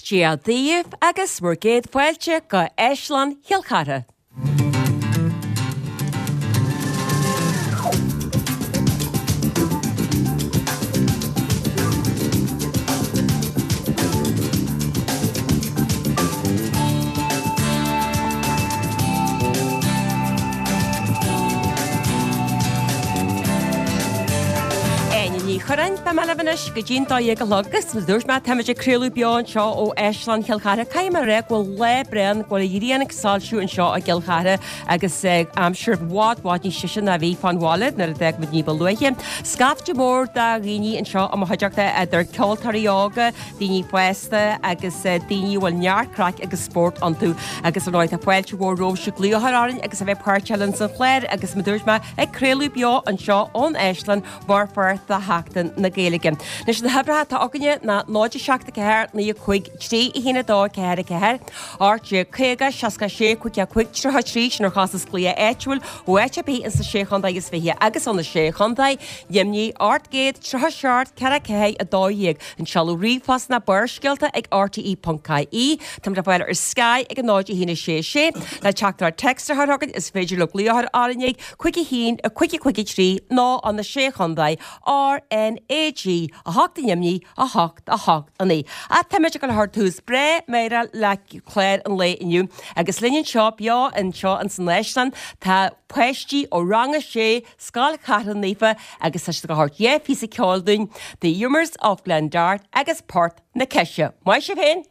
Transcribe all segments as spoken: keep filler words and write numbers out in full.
Dia daoibh agus bhur gcéad fáilte go Áislann Chill Chartha. Áine Ní Churráin, beidh mé libh anois go dtí'n dó dhéag a chlog agus mar a dúirt mé táimid ag craoladh beo anseo ó Áislann Chill Chartha. Caithfidh mé a rá go bhfuil lá breá ann, go bhfuil an ghrian ag soilsiú anseo i gCill Chartha agus aimsir i bhfad bhfad níos deise ná a bhí fán bhaile nuair a d'fhág muid ní ba luaithe. Scaifte mór de dhaoine anseo i mo chuideachta idir ceoltóirí óga, daoine fásta agus daoine a bhfuil neart craic agus spórt iontu agus ar ndóigh tá fáilte mhór romhaibhse glaoch a chur orainn agus a bheith páirteach linn san chlár agus mar a dúirt mé ag craoladh beo anseo ón Áislann mar pháirt de Sheachtain na Gaeilge. Anois na huimhreacha atá againne ná náid a seacht a ceathair naoi a cúig trí a haon a dó ceathair a ceathair, ocht déag caoga seasca sé cúig a cúig tríocha trí sin ar chostas glaoch áitiúil ó áit ar bith ins na Sé Chontae is Fiche agus ó na Sé Chontae, Luimnigh, ocht gcéad tríocha seacht ceithre ceathair a dó dhéag. An seoladh ríomhphost ná Barrscéalta ag rte ponc ie. Táimid le fáil ar Sky ag a náid a haon a sé sé. Le teachtaireacht téacs a chur chugainn is féidir libh glaoch a chur orainn ag cúig a haon a cúig a cúig a trí nó ó na Sé Chontae, R N A G a hocht i nDoimní a hocht a hocht a naoi. Ach táimid ag dul a chur tús breá meidhreach le clár an lae inniu agus linn anseo beo anseo ins an Áislann tá páistí ó Rang a Sé, Scoil Chathlán Naofa agus tá siad ag dul a thabhairt dhá phíosa ceoil dúinn, The Humours of Glen Dart agus Port na Ceise. Maith sibh féin!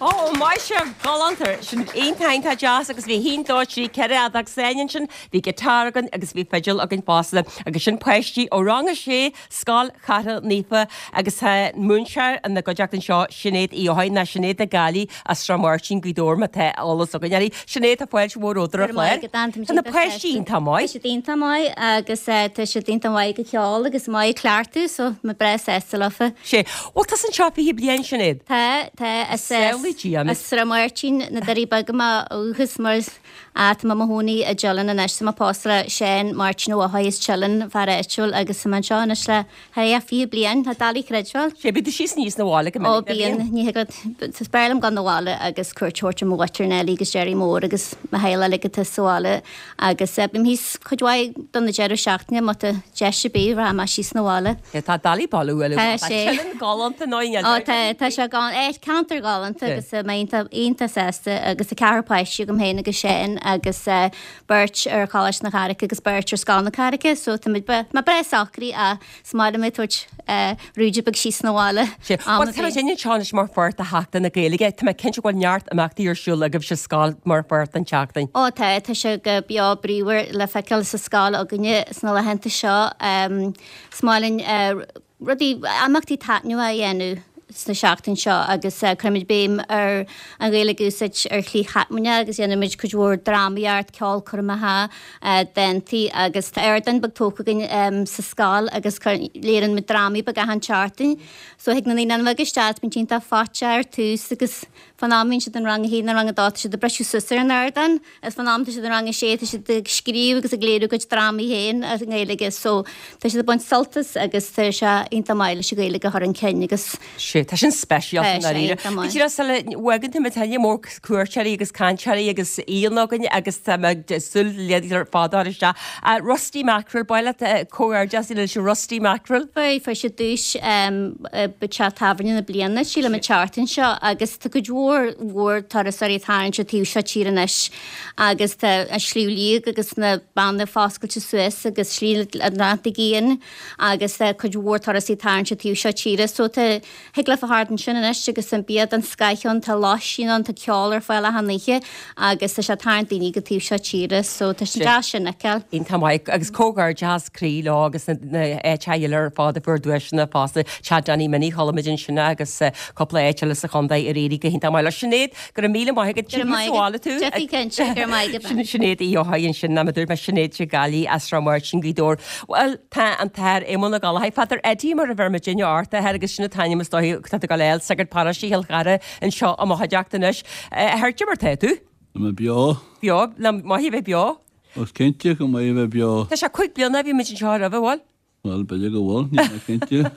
Ó, maith sibh, galánta. Sin iontach iontach deas agus bhí haon, dó, trí, ceithre fheadóg sáinn ansin, bhí guitar againn agus bhí fidil againn fosta agus sin páistí ó rang a sé, Scoil Chartha Naofa agus tá múinteoir ina gcuideachta anseo, Sinéad Uí Eochaidh, nó Sinéad na Gaillimhe as Srath Máirtín, Gaoth Dobhair má tá eolas againn uirthi. Sinéad, tá fáilte mhór romhat ar an chlár. Tá na páistí iontach maith. Tá siad iontach maith agus tá siad iontach maith ag ceol agus maith ag cleachtadh so mé breá sásta leofa. Sé. Bhfuil tusa anseo fiche bliain, Sinéad? Tá, tá. As Samhlaigh Dia as Srath Máirtín, na Doirí Beaga ó dhúchas mar tá mé i mo chónaí i dTeileann anois. Tá mé pósta le Seán Máirtín Ó Eochaidh as Teileann, fear áitiúil, agus tá mé anseo anois le thar a fiche bliain. Tá doiligh a chreidbheáil. Sé, bíonn tú síos aníos 'na bhaile go Ó minic, bíonn, ní thig leat, is fearr liom dul 'na bhaile agus cuairt a thabhairt ar mo mhuintir Nellie agus Jerry Mór agus mo theaghlach uilig atá sa bhaile agus bím thíos cuid mhaith do na deireadh seachtaine má tá deis ar bith, rachaidh mé síos 'na bhaile. Tá doiligh bailiú uile. Tá sé. Teileann galánta nó i Ó tá, tá sé gan, eh, ceantar galánta agus mé iontach, iontach sásta agus tá ceathrar páistí agam féin agus Seán agus eh, beirt ar Choláiste na Carraice agus beirt ar Scoil na Carraice so tá muid bre- mé breá socraithe ach is maith liom ag tabhairt eh, rúide beag síos 'na bhaile. Sé, am Bhuel, ar tá bith. muid anseo anois mar pháirt de Sheachtain na Gaeilge. Tá mé cinnte go bhfuil neart imeachtaí ar siúl agaibh sa scoil mar pháirt den tseachtain. Ó tá, tá sé go beo bríomhar le feiceáil sa scoil againne sna laethanta seo. Um, is maith linn eh, rudaí imeachtaí taitneamhacha a dhéanamh sna seachtain seo agus uh, cuirimid béim ar an Ghaeilge a úsáid ar shlí thaitneamhach agus dhéanaimid cuid mhór drámaíocht, ceolchoirmeacha, uh, dántaí agus tá ardán beag tógtha againn um, sa scoil agus léiríonn muid drámaí beag achan tseachtain. So thig na naíonáin bheaga isteach, bíonn siad iontach fáiteach ar tús agus fán am bhíonn siad in rang a haon nó rang a dó tá siad ag briseadh suas ar an ardán agus fán am tá siad in rang a sé tá siad ag scríobh agus ag léiriú a gcuid drámaí féin as an nGaeilge so tá siad ag baint sult as agus tá sé iontach maith leis an Ghaeilge a chur chun cinn agus Sé, tá sin speisialta Tá sé dáiríre. iontach maith. Bhí sula bhfagann tú tuilleadh mór cuairteoirí agus cainteoirí agus aíonna againn agus tá mé ag súil le fada isteach. Uh, Rusty Mackerel, baile comhghairdeas leis an Rusty Mackerel. Fuair fuair siad duais um, teach tábhairne na bliana sílim an tseachtain seo agus tá cuid mhór mhór turasóirí ag tarraingt an taobh seo tíre anois agus tá an Sliabh Liag agus na Beanna foscailte suas agus Slí an Atlantaigh Fhiáin agus tá cuid mhór turasóirí ag tarraingt an taobh seo tíre so tá thig leat a theacht ansin anois agus an bia den scoth ann tá lóistín ann tá ceol ar fáil achan oíche agus tá sé ag tarraingt daoine go taobh seo tíre so tá sé deas sin a fheiceáil. Iontach maith agus comhghairdeas croí leo agus na áiteacha eile ar fad a fuair duaiseanna fosta Teach Danny Minnie chuala muid ansin agus eh, cúpla áit eile sa chontae ar éirigh go hiontach maith leo. Sinéad, go raibh míle maith agat Go raibh maith bhála agat. tú. Jeffy cinnte, go raibh maith agat. Sin Sinéad Uí Eochaidh ansin na dúirt mé Sinéad sé Gaillimh as Srath Máirtín Gaoth Dobhair. Well tá an tAthair Éamonn Ó Gallchóir, Father Eddie mar a bheir muid duine ort air agus sin an t-ainm is dóigh tá go léil sagart paróiste Chill Chartha anseo i mo chuideachta anois. Athair mar tá tú? Tá mé beo. Beo, le maith a bheith beo. Os cinnte go maith a bheith beo. Tá sé cúig bliana bhí muid anseo roimhe bhfuil? Well, b'fhéidir go bhfuil, níl mé cinnte.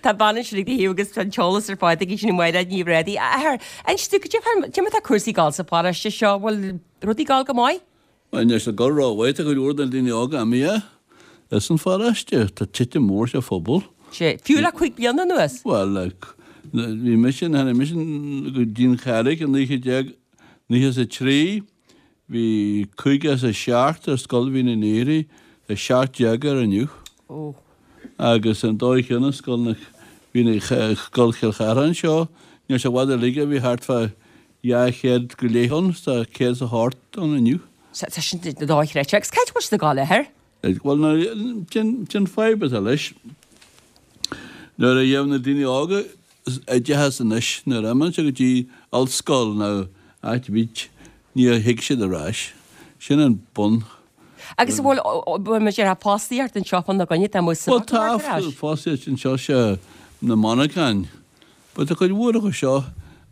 Tá bean sin ag do agus an t-eolas ar fád ag sin Máire Ní Bhréadaí. Athair, inis dúinn cad é mar tá cúrsaí ag gabháil sa pharóiste seo bhfuil rudaí ag gabháil go maith? Well, níl sé ag gabháil rómhaith tá go leor de na daoine óga imithe as an pharóiste, tá titim mór sa phobal. Sé, fiú le cúig bliana anuas? Well, like, bhí mise tháinig mise go dtí an Charraig i naoi déag nócha is a trí, bhí caoga is a seacht ar scoil Mhín an Aoire, tá seacht déag air inniu. Ó. Agus an dóigh chéanna scoil na bhí na scoil Chill Chartha anseo, níl sé i bhfad uilig a bhí thart fá dhá chéad go leith ann, tá céad is a hocht ann inniu. Tá sin dochreidte agus cad bhfuil siad ag gabháil air? Well, ná sin sin fadhb atá leis. Nuair a gheibh na daoine óga oideachas anois, nuair a imíonn siad go dtí ollscoil nó áit ar bith, ní thig siad ar ais. Sin an bun. Agus bhfuil bhfuil muid ar fostaíocht anseo fána choinne tá mu Well, tá fostaíocht anseo sé na monarchana. But tá cuid mhór acu seo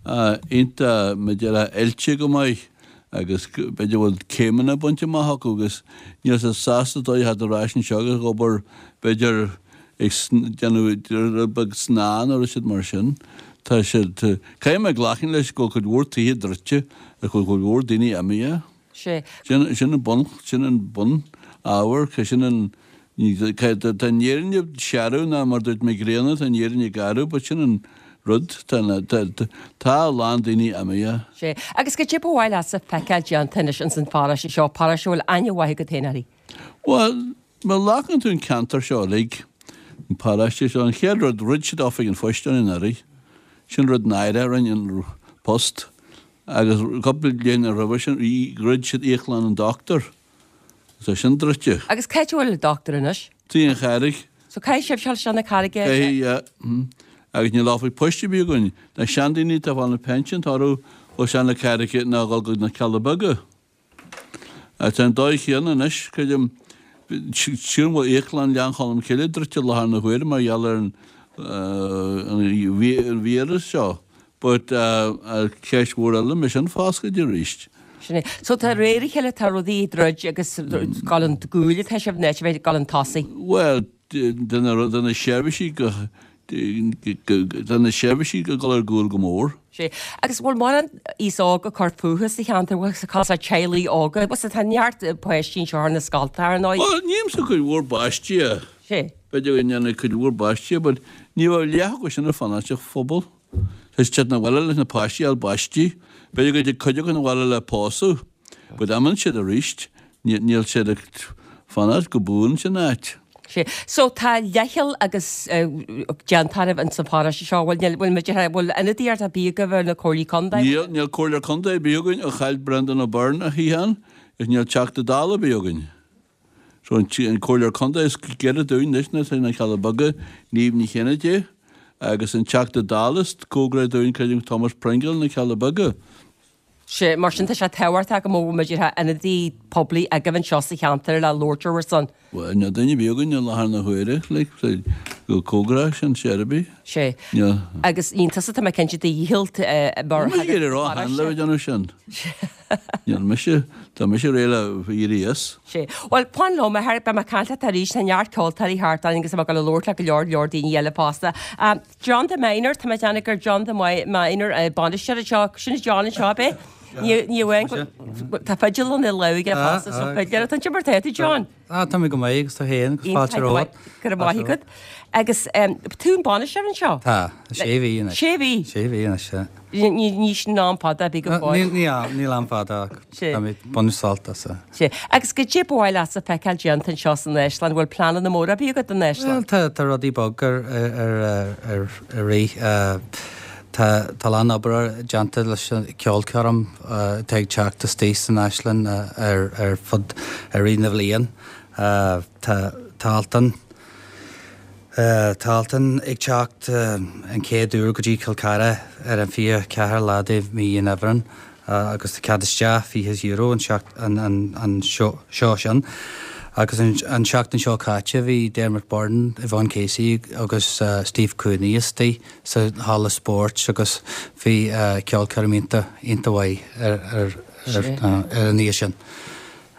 iontach b'fhéidir oilte go maith agus b'fhéidir bhfuil céimeanna bainte amach acu agus níl siad sásta dul ar ais anseo agus ag obair b'fhéidir ag déanamh beag snáth nó siad mar sin. Tá siad caithfidh mé glacadh leis go cuid mhór tithe druidte agus go cuid mhór daoine imithe. Sé. Sin sin an bun sin an bun ábhar sin an tá an fhírinne searbh ná mar dúirt Mac Grianna tá an fhírinne garbh, but sin an rud tá tá a lán daoine imithe. Sé. Agus cad é ba mhaith leatsa feiceáil déanta anois ins an pharóiste seo, paróiste a bhfuil aithne mhaith agat féin uirthi. Well, má ghlacann tú an ceantar seo uilig, an paróiste seo, an chéad rud dhruid siad oifig an phoist ann anuraidh. Sin rud náire rinne an post agus cúpla bliain roimhe sin dhruid siad íoclann an dochtúir. Tá sin druidte. Agus cá háit a bhfuil an dochtúir anois? Tigh an Charraig. So caithfidh sibh dul isteach na Carraige? Caithfidh, yeah. Agus níl oifig poist ar bith againn. Na seandaoine atá ag fáil na pension tá orthu dhul isteach na Carraige nó dhul go na Cealla Beaga. Tá an dóigh chéanna anois, creidim, sílim go bhfuil íoclann Ghleann Cholm Cille druidte i láthair na huaire mar gheall ar an an víreas seo. But ceist mhór eile, mbeidh sin foscailte arís? Sin é. So tá réir a chéile tá rudaí ag druid agus ag gabháil chun cúil atá sibh in áit a bheith ag gabháil chun tosaigh. Bhuel, de na seirbhísí go, de na seirbhísí ag dul ar gcúl go mór. Sea. Agus bhfuil mórán aos óg ag cur fúthu sa cheantar, bhfuil sa cás teaghlaigh óga, bhfuil tá neart páistí anseo ar na scoltacha ar ndóigh. Bhuel, nímse cuid mhór páistí. Sea. B'fhéidir go ndéanfaidh cuid mhór páistí, but ní bheadh leath acu sin ag fanacht sa phobal. Tá siad 'na bhaile leis na páistí a fháil baistí. B'fhéidir go dtig cuid acu 'na bhaile le pósadh, but imíonn siad arís. Níl siad ag fanacht go buan san áit. Sea. So tá leithcheal agus déanta oraibh ins an pharóiste seo. Bhfuil, níl, bhfuil muid, bhfuil ionadaíocht ar bith agaibh ar na comhairlí contae? Níl, níl comhairleoir contae ar bith againn ó chaill Brendan O'Byrne a shuíochán is níl Teachta Dála ar bith againn. So an comhairleoir contae is gaire dúinn anois ná sna Cealla Beaga, Niamh Ní Chinnéide, agus an Teachta Dála is cóngaraí dúinn creidim Thomas Pringle na Cealla Beaga. Sea, mar sin tá sé tábhachtach go mbeadh muid ar ionadaí poiblí agaibh anseo sa cheantar le labhairt ar bhur son. Bhuel, níl duine ar bith againn i láthair na huaire, like, go cóngarach sin ar bith. Sea. Níl. Agus ní tusa tá mé cinnte do dhícheall mar Níl mise ag iarraidh a rá cheana le bheith ag déanamh sin. Níl mise, tá mise réidh le éirí as. Sea. Bhuel, fan liom, a Harry, beidh mé ag caint leat arís, tá neart ceoltóirí thart orainn agus tá mé ag dul a labhairt le go leor leor daoine eile fosta. John the Miner, tá mé ag déanamh gur John the Miner bainisteoir anseo, sin é John anseo, ab é? Ní ní amháin go tá fidil ina lámh aige fosta, so fidléir atá ansin mar tá tú John. Ah, tá mé go maith agus tú féin agus fáilte romhat. Go raibh maith agat. Agus tú an bainisteoir anseo? Tá, sé mhí anois. Sé mhí? Sé mhí anois, sea. Ní ní sin am fada a bhí go fóill. Ní níl am fada ach tá mé ag baint sult as. Sea. Agus goidé ba mhaith leatsa feiceáil déanta anseo san Áislann, bhfuil pleananna móra ar bith agat don Áislann? Bhuel, tá tá rudaí beag ar ar ar ar rith. Tá tá a lán obair déanta leis an ceolchoirm atá ag teacht istigh san Áislann ar ar fud i rith na bhliain. Tá tá Altan Tá Altan ag teacht an chéad uair go dtí Cill Chartha ar an fiche ceathair lá de mhí an Aibreáin agus tá cead isteach fiche euro an an seó sin. Agus an seachtain seo caite bhí Dermot Byrne, Yvonne Casey agus Steve Cooney istigh sa halla spóirt agus bhí ceolchoirm iontach iontach mhaith ar ar ar an oíche sin.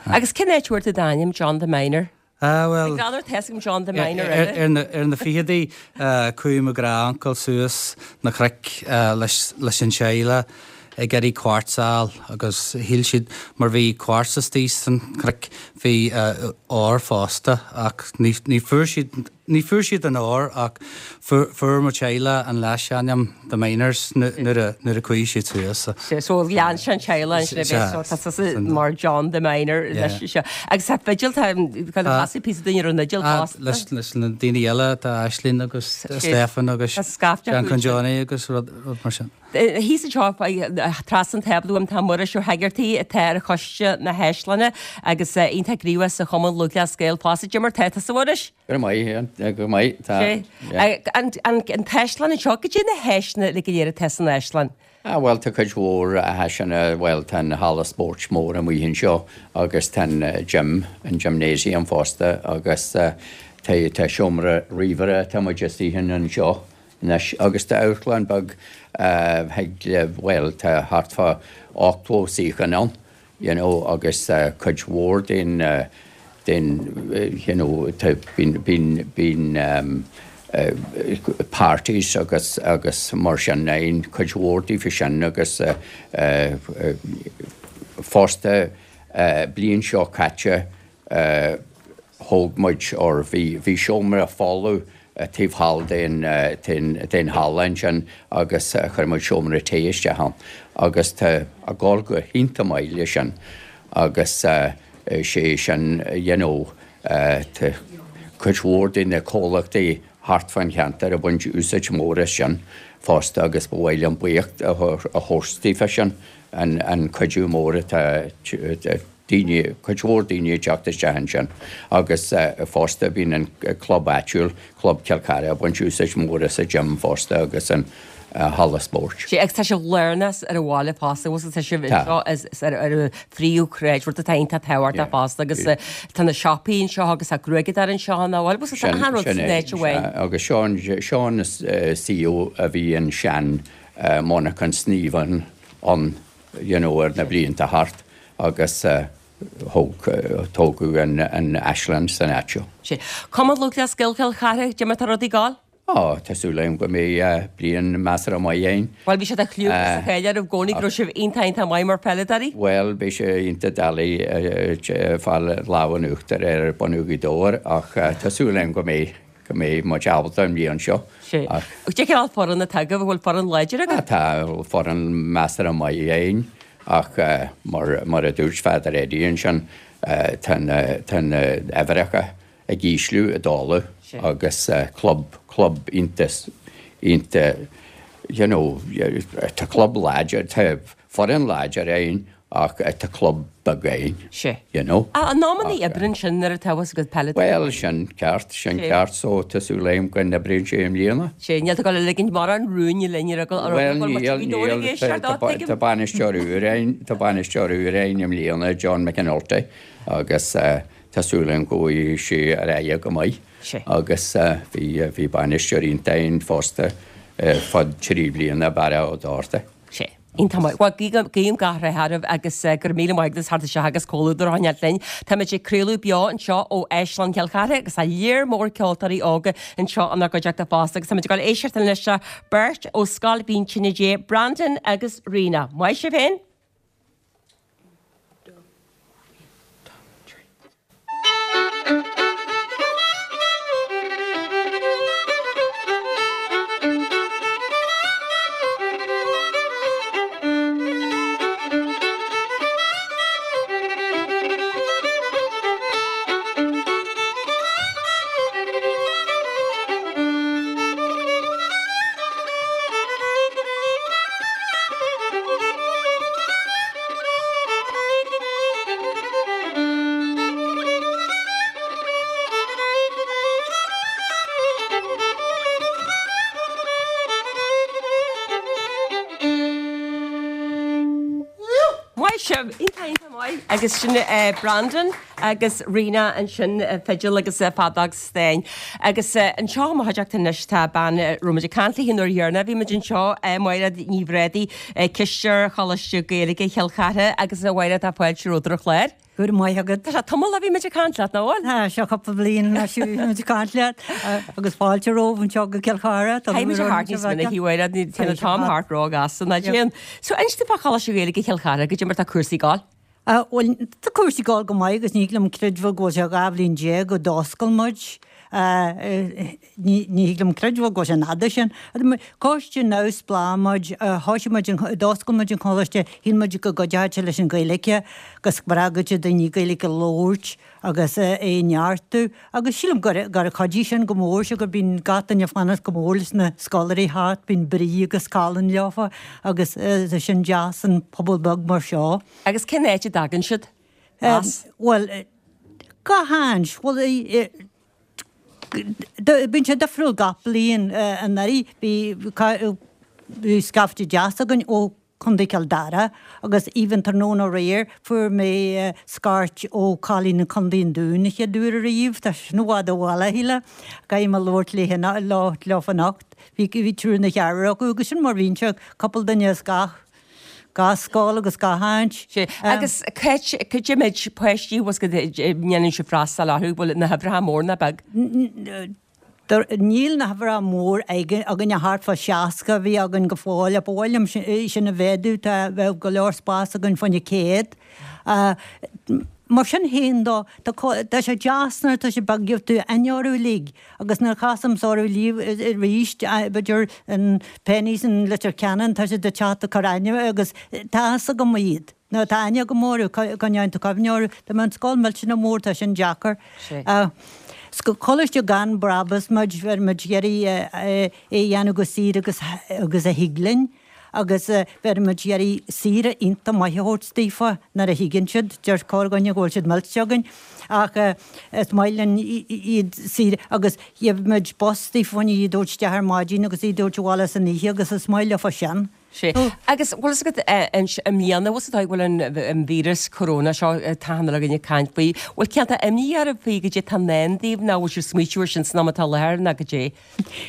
Agus cén áit a bhfuair tú d'ainm, John the Miner? Ah, bhuel. Ag greann tá a fhios agam John the Miner eile. Ar na, ar na fichidí, chuaigh mo ghnáthuncail suas na cnoic leis, leis an teaghlach ag iarraidh quartz a fháil agus shíl siad mar bhí quartz istigh san chnoic bhí ór fosta ach ní, ní fuair siad, ní fuair siad an ór ach fuair, fuair mo teaghlach an leasainm The Miners nuair a, nuair a chuaigh siad suas. Sea, so lean sé an teaghlach ansin a bheith so tá tusa mar John the Miner leis seo. Agus tá fidil, tá casadh píosa dúinn ar an fhidil fosta. Leis leis na daoine eile, tá Aisling agus Stephen agus Seán Johnny agus rud mar sin. Thíos anseo trasna an tábla uaim tá Muiris Ó hEigeartaigh atá ar choiste na hÁislainne agus iontach gníomhach sa Chumann Lúthchleas Gael fosta. Goidé mar tá tusa a Mhuiris? Go maith, go maith, tá. An t-áislann anseo, goidé na háiseanna uilig go léir atá san áislann? Ah bhuel tá cuid mhór áiseanna, bhuel tá an halla spóirt mór amuigh anseo agus tá an gym, an gymnasium fosta agus tá tá seomra ríomhaire tá muid istigh in anseo anois agus tá amharclann beag thig le bhuel tá thart fá ochtó suíochán ann you know agus cuid mhór den den you know tá bíonn bíonn bíonn parties agus agus mar sin ann cuid mhór daofa sin agus fosta bliain seo caite thóg muid or bhí bhí seomra folamh taobh thall den den den halla ansin agus chuir muid seomra tae isteach ann agus tá ag gabháil go hiontach maith leis sin agus sé sin you know tá cuid mhór de na comhlachtaí thart fán cheantar ag baint úsáid mór as sin fosta agus ba mhaith liom buíochas a thabhairt daofa sin, an cuidiú mór atá daoine, cuid mhór daoine ag teacht isteach ansin agus fosta bíonn an club áitiúil, Club Chill Chartha, ag baint úsáid mhór as an gym fosta agus an halla spóirt. Sea, agus tá sibh lárnach ar an bhaile fosta, bhfuil tá sibh anseo ar an phríomhshráid, rud atá iontach tábhachtach fosta agus tá na siopaí anseo agus tá gruaigeadóir anseo, nach bhfuil? Bhfuil tá achan rud san áit amháin. Agus seo an seo an suíomh a bhí an sean monarchan sníomha ann you know ar na blianta thart agus thóg tógadh an an Áislann san áit seo. Sea. Cumann Lúthchleas Gael Chill Chartha, cad é mar tá rudaí ag gabháil? Ó, tá súil agam go mbeidh bliain measartha maith againn. Bhuel, bhí sé de chlú agus de cháil oraibh i gcónaí go raibh sibh iontach iontach maith mar pheileadóirí. Bhuel, beidh sé iontach doiligh fáil lámh in uachtar ar bunú Ghaoth Dobhair ach tá súil agam go mbeidh go mbeidh muid ábalta an bhliain seo. Sea. Cad é cineál foireann atá agaibh, an bhfuil foireann láidir agaibh? Tá foireann measartha maith againn ach mar mar a dúirt Father Eddie ansin tá na tá na huimhreacha ag ísliú i dtólamh agus club, club iontach, iontach, you know, tá club láidir, tá foireann láidir againn ach tá club beag againn, you know. In amannaí oibreann sin nuair atá fhios agat peileadóirí. Bhuel, sin ceart, sin ceart, so tá súil agam go n-oibríonn sé i mbliana. Sea, níl tú ag dul a ligint mórán rúin linn ar eagla Bhuel, níl, níl, tá bainisteoir úr againn, tá bainisteoir úr againn i mbliana, John McAnulty, agus Tá súil agam go bhfaighidh sé ar aghaidh go maith agus bhí bhí bainisteoir iontach againn fosta ar fud trí bliana, Barra Ó Dochartaigh. Sea. Iontach maith. Bhuel, guím gach rath oraibh agus go raibh míle maith agat as theacht isteach agus comhluadar a choinneáilt linn. Táimid ag craoladh beo anseo ó Áislann Chill Chartha agus tá léar mór ceoltóirí óga anseo inár gcuideachta fosta agus táimid ag dul éisteacht anois le beirt ó Scoil Mhín Tine Dé, Brandon agus Ríona. Maith sibh féin! Maith sibh! Iontach, iontach maith. Agus sin Brandon agus Ríona ansin, fidil agus feadóg stáin. Agus anseo i mo chuideachta anois tá bean a raibh muid ag caint léi an uair dheireanach a bhí muid anseo, Máiréad Ní Bhrádaigh, Cisteoir Choláiste Gaeilge Chill Chartha agus a Mháiréad tá fáilte romhat ar an chlár. Go raibh maith agat. Tá sé tamall ó bhí muid ag caint leat, nach bhfuil? Tá sé cúpla bliain anois ó bhí muid ag caint leat agus fáilte romhaibh anseo go Cill Chartha. Caithfidh muid a theacht níos minice, a Mháiréad, téann an t-am thart róghasta, nach dtéann? So inis domh fá Choláiste Gaeilge Chill Chartha, goidé mar tá cúrsaí ag gabháil? Bhuel, tá cúrsaí ag gabháil go maith agus ní thig liom creidbheáil go bhfuil sé dhá bhliain déag ó d'oscail muid. Ní thig liom creidbheáil go bhfuil sé an fhada sin. Coiste neamhspleách muid, thoisigh muid an, d'oscail muid an coláiste, shíl muid go gcuideodh sé leis an Ghaeilge, go spreagfadh sé daoine Gaeilge a labhairt agus é a neartú agus sílim gur gur chuidigh sin go mór, siocair bíonn gach duine ag fanacht go mór leis na scoláirí a theacht, bíonn brí agus colainn leofa agus tá sin deas in pobal beag mar seo. Agus cén áit a dtagann siad as? Bhuel, gach áit. Bhuel, bíonn sé difriúil gach bliain. Anuraidh bhí scaifte deas againn ó Chontae Chill Dara agus even tráthnóna aréir fuair mé scairt ó chailín i Contae an Dúin an chéad uair ariamh. Tá sin i bhfad ó bhaile, a shíle. Caithfidh mé labhairt léi leofa anocht. Bhí triúr nó ceathrar acu agus sin mar bhíonn sé, cúpla duine as gach gach scoil agus gach áit. Sea, agus cad é méid páistí bhfuil go ndéanann sibh freastal orthu, bhfuil na huimhreacha mór ná beag? Níl na huimhreacha mór againn ach thart fá seasca a bhí againn go fóill ach ba mhaith liom sin a mhéadú, tá, bheadh go leor spás againn fá choinne céad. Mar sin féin dó, tá sé deas nuair atá sé beag, gheobhaidh tú aithne orthu uilig agus nuair a chasaimse orthu arís, b'fhéidir in Penneys in Leitir Ceanainn, tá siad ag teacht ag cur aithne agus tá fhios agam iad, nó tá aithne agam orthu, coinneoidh tú cuimhne orthu. Dá mbeadh an scoil millteanach mór, tá sin deacair. Coláiste gan brabús muid, bheir muid ag iarraidh é a dhéanamh go saor agus agus a thig linn agus bheir muid ag iarraidh saoire iontach maith a thabhairt daofa nuair a thigeann siad. Deir corrdhuine go bhfuil siad millte againn ach is maith linn iad saoire agus gheibh muid bus daofa chun iad a thabhairt isteach ar maidin agus iad a thabhairt abhaile san oíche agus is maith leofa sin. Sea. Agus bhfuil fhios agat i mbliana, bhfuil fhios agat go bhfuil an víreas corona seo tá achan duine ag caint faoi, bhfuil cineál imní oraibh faoi goidé tá i ndán daoibh nó bhfuil sibh smaoitiú ar sin san am atá i láthair nó goidé?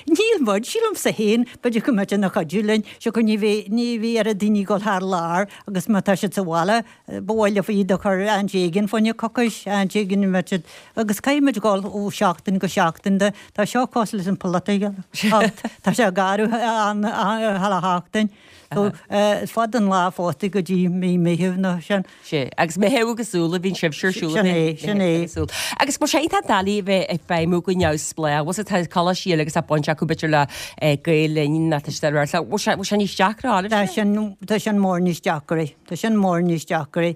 Níl muid, sílimse féin, b'fhéidir go mbeadh ina chuidiú linn, siocair ní bheidh, ní bheidh oiread daoine ag dul thar lear agus má tá siad sa bhaile, ba mhaith leofa iad a chur áit éigin fá choinne coicís, áit éigin a mbeadh siad, agus caithfidh muid dul ó sheachtain go seachtain de, tá seo cosúil leis an pholaitíocht, tá sé ag athrú chuile sheachtain. So is fada an lá fosta go dtí mí Meitheamh nó sin. Sea, agus Meitheamh agus Iúil a bhíonn sibhse ar siúl. Sin é, sin é. Agus bhfuil sé iontach doiligh a bheith ag feidhmiú go neamhspleách, bhfuil sé, tá coláistí eile agus tá baint acu b'fhéidir le Gael Linn nó tá siad ar bhfuil sé, bhfuil sé níos deacra oraibhse? Tá sin, tá sin mór níos deacra, tá sin mór níos deacra,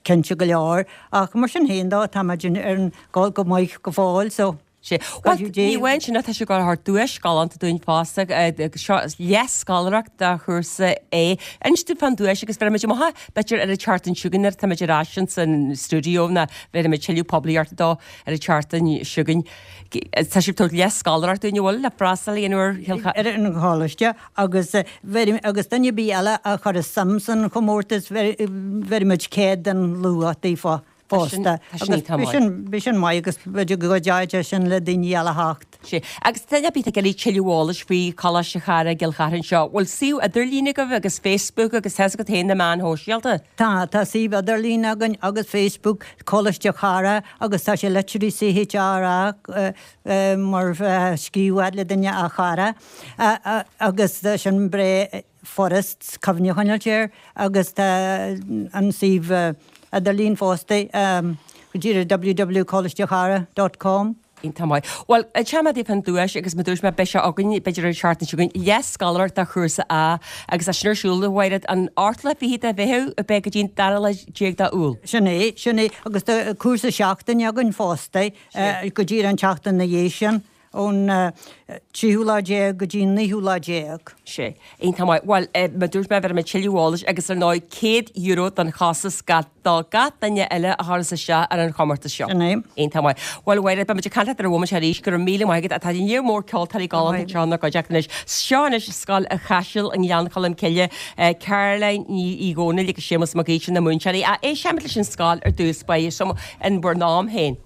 cinnte go leor, ach mar sin féin dó, tá muid ar an gol go maith go fóill so. Sea. Bhuel, ní amháin sin ach tá sibh ag gabháil a thabhairt duais galánta dúinn fosta, seo leath-scoláireacht do chúrsa A. Inis dúinn fán duais agus bhéarfaimid amach é, b'fhéidir ar an tseachtain seo chugainn nuair atá muid ar ais ins an stiúideo nó bhéarfaimid tuilleadh poiblíochta dó ar an tseachtain seo chugainn. Tá sibh ag tabhairt leath-scoláireacht dúinn, an bhfuil, le freastal a dhéanamh ar Chill Chartha? Ar an choláiste agus agus duine ar bith eile a chuirfeas suim san chomórtas bhéarfaimid céad den luach daofa. fosta. Agus bhí sin maith agus b'fhéidir go gcuideoidh sé sin le daoine eile theacht. Sea. Agus duine ar bith ag iarraidh tuilleadh eolais faoi Choláiste Chara i gCill Chartha anseo, bhfuil suíomh idirlín agaibh agus Facebook agus tá fhios agat féin na meáin shóisialta? Tá, tá suíomh idirlín againn agus Facebook, Coláiste Chara agus tá sé literally C H R A mar scríobh le duine a chara agus sin breá furast cuimhne a choinneáilt air agus tá an suíomh idirlín fosta go díreach w w coláistechara dot com. Iontach maith. Bhuel, inseoidh mé daoibh fán duais agus mar dúirt mé beidh sé againn b'fhéidir ar an tseachtain seo chugainn, leath-scoláireacht do chúrsa A agus é sin ar siúl a Mhairéad an ochtú lá fichead de Mheitheamh a beidh go dtí an dara lá déag de Iúil. Sin é, sin é. Agus tá cúrsa seachtaine againn fosta go díreach an tseachtain ina dhiaidh sin. Ón tríú lá déag go dtí an naoú lá déag. Sea. Iontach maith. Bhuel, mar dúirt mé, bhéarfaidh mé tuilleadh eolais agus ar ndóigh céad euro don chostas gach, do gach duine eile a chuireas isteach ar an chomórtas seo. Sin é. Iontach maith. Bhuel, a Mhairéad, beidh muid ag caint leat ar an bhomaite arís. Go raibh míle maith agat. Tá lear mór ceoltóirí galánta anseo inár gcuideachta anois. Seo anois Scoil an Chaisil i nGleann Cholm Cille, Caroline Ní Dhomhnaill agus Séamus Mac Aoidh, na múinteoirí. Éistfimid leis an scoil ar dtús báire, so in bhur n-am féin.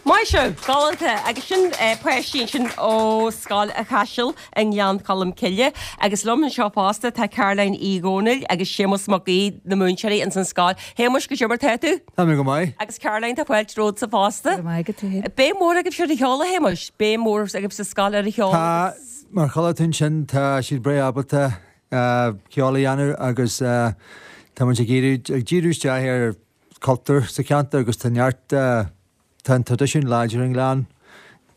Maith sibh! Galánta! Agus sin páistí ansin ó Scoil an Chaisil i nGleann Cholm Cille. Agus liom anseo fosta tá Caroline Uí Dhomhnaill agus Séamus Mac Aoidh, na múinteoirí ins an scoil. Shéamuis, goidé mar tá tú? Tá mé go maith. Agus Caroline, tá fáilte romhatsa fosta. Go raibh maith agat, a Shéamuis. Béim mhór agaibhse ar an cheol, a Shéamuis? Béim mhór agaibh sa scoil ar an cheol Tá, agus. mar chuala tú ansin, tá siad breá ábalta ceol a dhéanamh agus tá muid ag iarraidh ag díriú isteach ar cultúr sa cheantar agus tá neart tá an traidisiún láidir i nGleann,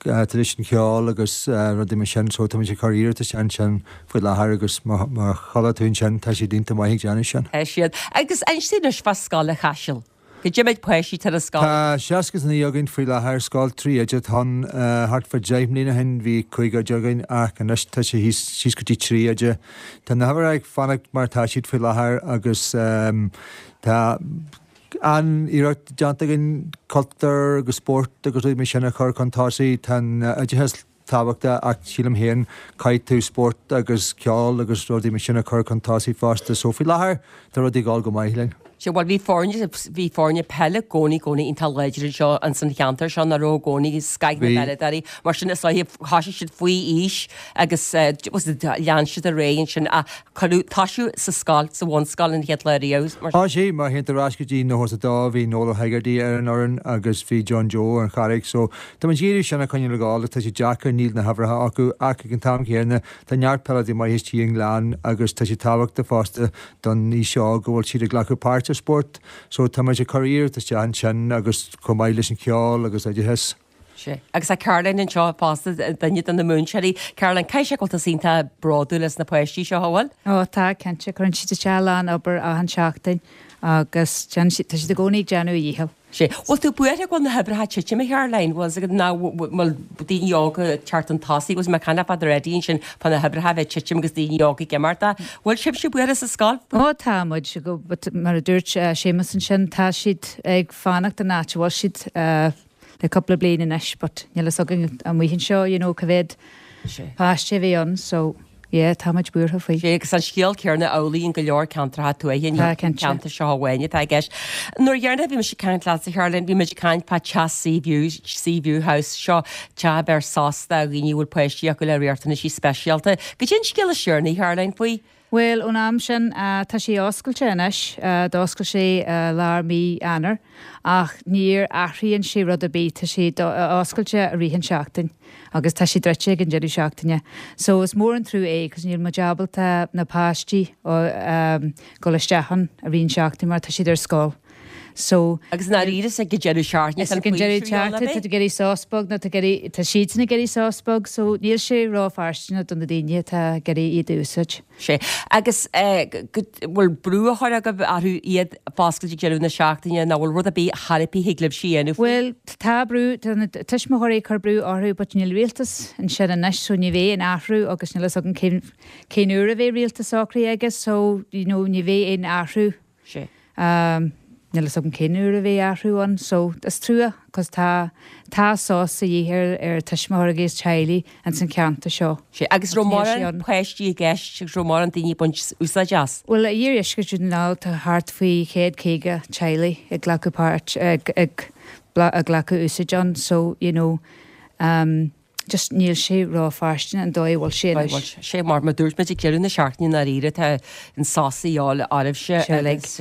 traidisiún ceoil agus rudaí mar sin so tá muid ag cur iarratas ansin faoi láthair agus má má chuala tú ansin tá siad iontach maith ag déanamh sin. Tá siad. Agus inis dúinn anois fá Scoil an Chaisil. Cad é méid páistí atá ar an scoil? Tá seasca is naoi againn faoi láthair, scoil trí oide atá ann. Thart fá deich mbliana ó shin bhí cúig oide againn ach anois tá sé thíos síos go dtí trí oide. Tá na huimhreacha ag fanacht mar atá siad faoi láthair agus tá an-iarracht déanta againn cultúr agus spórt agus rudaí mar sin a chur chun tosaigh. Tá an oideachas tábhachtach ach sílim féin caithfidh tú spórt agus ceol agus rudaí mar sin a chur chun tosaigh fosta so faoi láthair tá rudaí ag dul go maith linn. Sea, bhuel bhí foirne, bhí foirne peile i gcónaí, gcónaí iontach láidir anseo ins an cheantar seo, nach raibh i gcónaí scoth na bpeileadóirí, mar sin is dóiche thosaigh siad faoi aois agus lean siad ar aghaidh ansin ach cuireadh, toisíodh sa scoil, sa bhunscoil an chéad lá riamh, mar sin. Á sea, má théann tú ar ais go dtí nócha is a dó bhí Noel Ó hEigeartaigh ar an fhoireann agus bhí John Joe ar an Charraig so tá muid ag iarraidh sin a choinneáil ag gabháil, tá sé deacair, níl na huimhreacha acu ach ag an t-am chéanna tá neart peileadóirí maithe istigh i nGleann agus tá sé tábhachtach fosta don aois seo go bhfuil siad ag glacadh páirt i spórt so tá muid ag cur iarracht isteach ansin agus chomh maith leis an cheol agus oideachas. Sea. Agus tá Caroline anseo fosta, duine de na múinteoirí. Caroline, caithfidh sé go bhfuil tusa iontach bródúil as na páistí seo, an bhfuil? Ó tá, cinnte. Cuireann siad isteach a lán obair achan seachtain agus déanann siad, tá siad i gcónaí ag déanamh a dhícheall. Sea. Bhfuil tú buartha go bhfuil na huimhreacha ag titim, a Charoline? Bhfuil fhios agat nach bhfuil daoine óga ag teacht chun tosaigh? Bhfuil mé ag caint fá Eddie ansin fá na huimhreacha a bheith ag titim agus daoine óga ag imeacht. Bhfuil sibhse buartha sa scoil? Ó tá muid, mar a dúirt Séamus ansin, tá siad ag fanacht an áit a bhfuil siad le cúpla bliain anois but níl fhios againn amuigh anseo you know cá mhéad páiste a bhí ann so yeah tá muid buartha faoi. Sea, agus an scéal céanna amhlaidh in go leor ceantracha tuaithe, ní an ceantar seo amháin atá i gceist. Nuair dheireanach a bhí mise ag caint leatsa, a Charoline, bhí muid ag caint fá teach Seaview, Seaview House, seo teach a bheir sos do dhaoine a bhfuil páistí acu le riachtanaisí speisialta. Goidé an scéal is deireanaí, Caroline, faoi? Bhuel, ón am sin, tá sé oscailte anois, d'oscail sé lár mí Eanáir, ach níor athraíonn sé rud ar bith, tá sé oscailte i rith an seachtain agus tá sé druidte ag an deireadh seachtaine. So is mór an trua é, cos níl muid ábalta na páistí dul isteach ann i rith an seachtain mar tá siad ar scoil. So. Agus i ndáiríre is ag an deireadh seachtaine Is ag an deireadh seachtaine, tá tú ag iarraidh sos beag nó tá ag iarraidh, tá siadsan ag iarraidh sos beag, so níl sé ró-fhearstaineach do na daoine atá ag iarraidh iad a úsáid. Sea. Agus go bhfuil brú á chur agaibh orthu iad a foscailt ag deireadh na seachtaine nó bhfuil rud ar bith thar a bith thig libhse a dhéanamh faoi? Bhuel, tá brú, tá na tuismitheoirí ag cur brú orthu but níl rialtas ansin anois so ní bheidh aon athrú agus níl fhios againn cén, cén uair a bheidh rialtas socraithe aige so, you know, ní bheidh aon athrú. Sea. Níl fhios agam cén uair a bheidh athrú ann so is trua cos tá tá sos a dhíth ar ar tuismitheoirí agus teaghlaigh ins an cheantar seo. Sea, agus raibh mórán páistí i gceist agus raibh mórán daoine ag baint úsáid as? Bhuel, i iardheisceart Dhún na nGall tá thart faoi chéad caoga teaghlaigh ag glacadh páirt ag ag ag glacadh úsáid ann so you know um Just níl sé ró-fhearstaineach an dóigh a bhfuil sé anois. Sé mar mar dúirt muid ag deireadh na seachtaine i ndáiríre tá an sos a dhíobháil oraibhse agus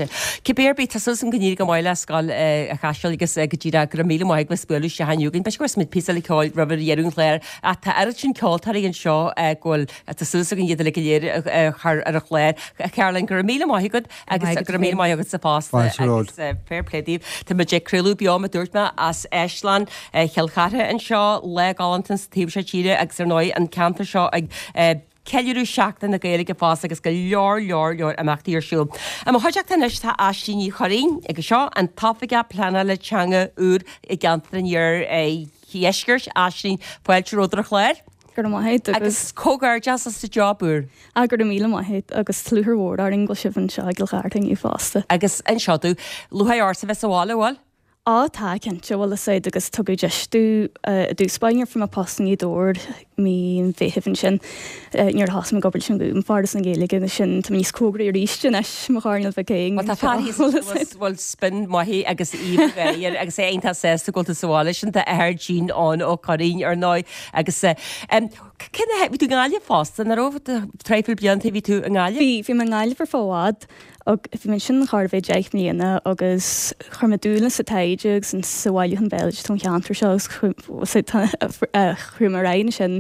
cibé ar bith tá súil agam go n-éireoidh go maith le Scoil an Chaisil agus go díreach go raibh míle maith agat as bualadh isteach inniu againn. B'fhéidir go gcuirfidh muid píosa eile ceoil roimh dheireadh an chláir ach tá oiread sin ceoltóirí anseo go bhfuil tá súil againn iad uilig go léir a chur ar an chlár. Caroline, go raibh míle maith agat agus go raibh míle maith agatsa fosta agus fair play daoibh. Tá muid ag craoladh beo mar a dúirt mé as Áislann Chill Chartha anseo, lá galánta sa taobh seo tíre agus ar ndóigh an ceantar seo ag ceiliúradh Seachtain na Gaeilge fosta agus go leor leor leor imeachtaí ar siúl. I mo chuideachta anois tá Aisling Ní Churraoin agus seo an tOifigeach Pleanála Teanga úr i gceantar an Iardheiscirt. Aisling, fáilte romhat ar an chlár. Go raibh maith agat agus. Agus comhghairdeas as do job úr. Ah, go raibh míle maith agat agus tá lúcháir mhór orainn go bhfuil sibh anseo i gCill Chartha inniu fosta. Agus anseo tú, lúcháir ortsa bheith sa bhaile, bhfuil? Á, tá, cinnte, bhfuil fhios agat agus tugadh deis domh i dtús báire nuair a fuair mé post i nGaoth Dobhair mí an Mheithimh ansin nuair a thosaigh mé ag obair leis an Gúm, Foras na Gaeilge agus sin tá mé níos cóngaraí arís anois, mo choirnéal bheag féin Bhuel tá fear thíos bhfuil spin maith agus aoibh air agus é iontach sásta go bhfuil tú sa bhaile sin d'athair Gene Eoin Ó Curraoin ar ndóigh agus cén bhí tú i nGaillimh fosta, nach raibh traidhfil blianta bhí tú i nGaillimh? Bhí, bhí mé i nGaillimh ar feadh i bhfad Bhí mé ansin chóir a bheith deich mbliana agus chuir mé dúil sa taighde agus sa bhailiúchán béaloidis ón cheantar seo agus chuaigh mé ar aghaidh ansin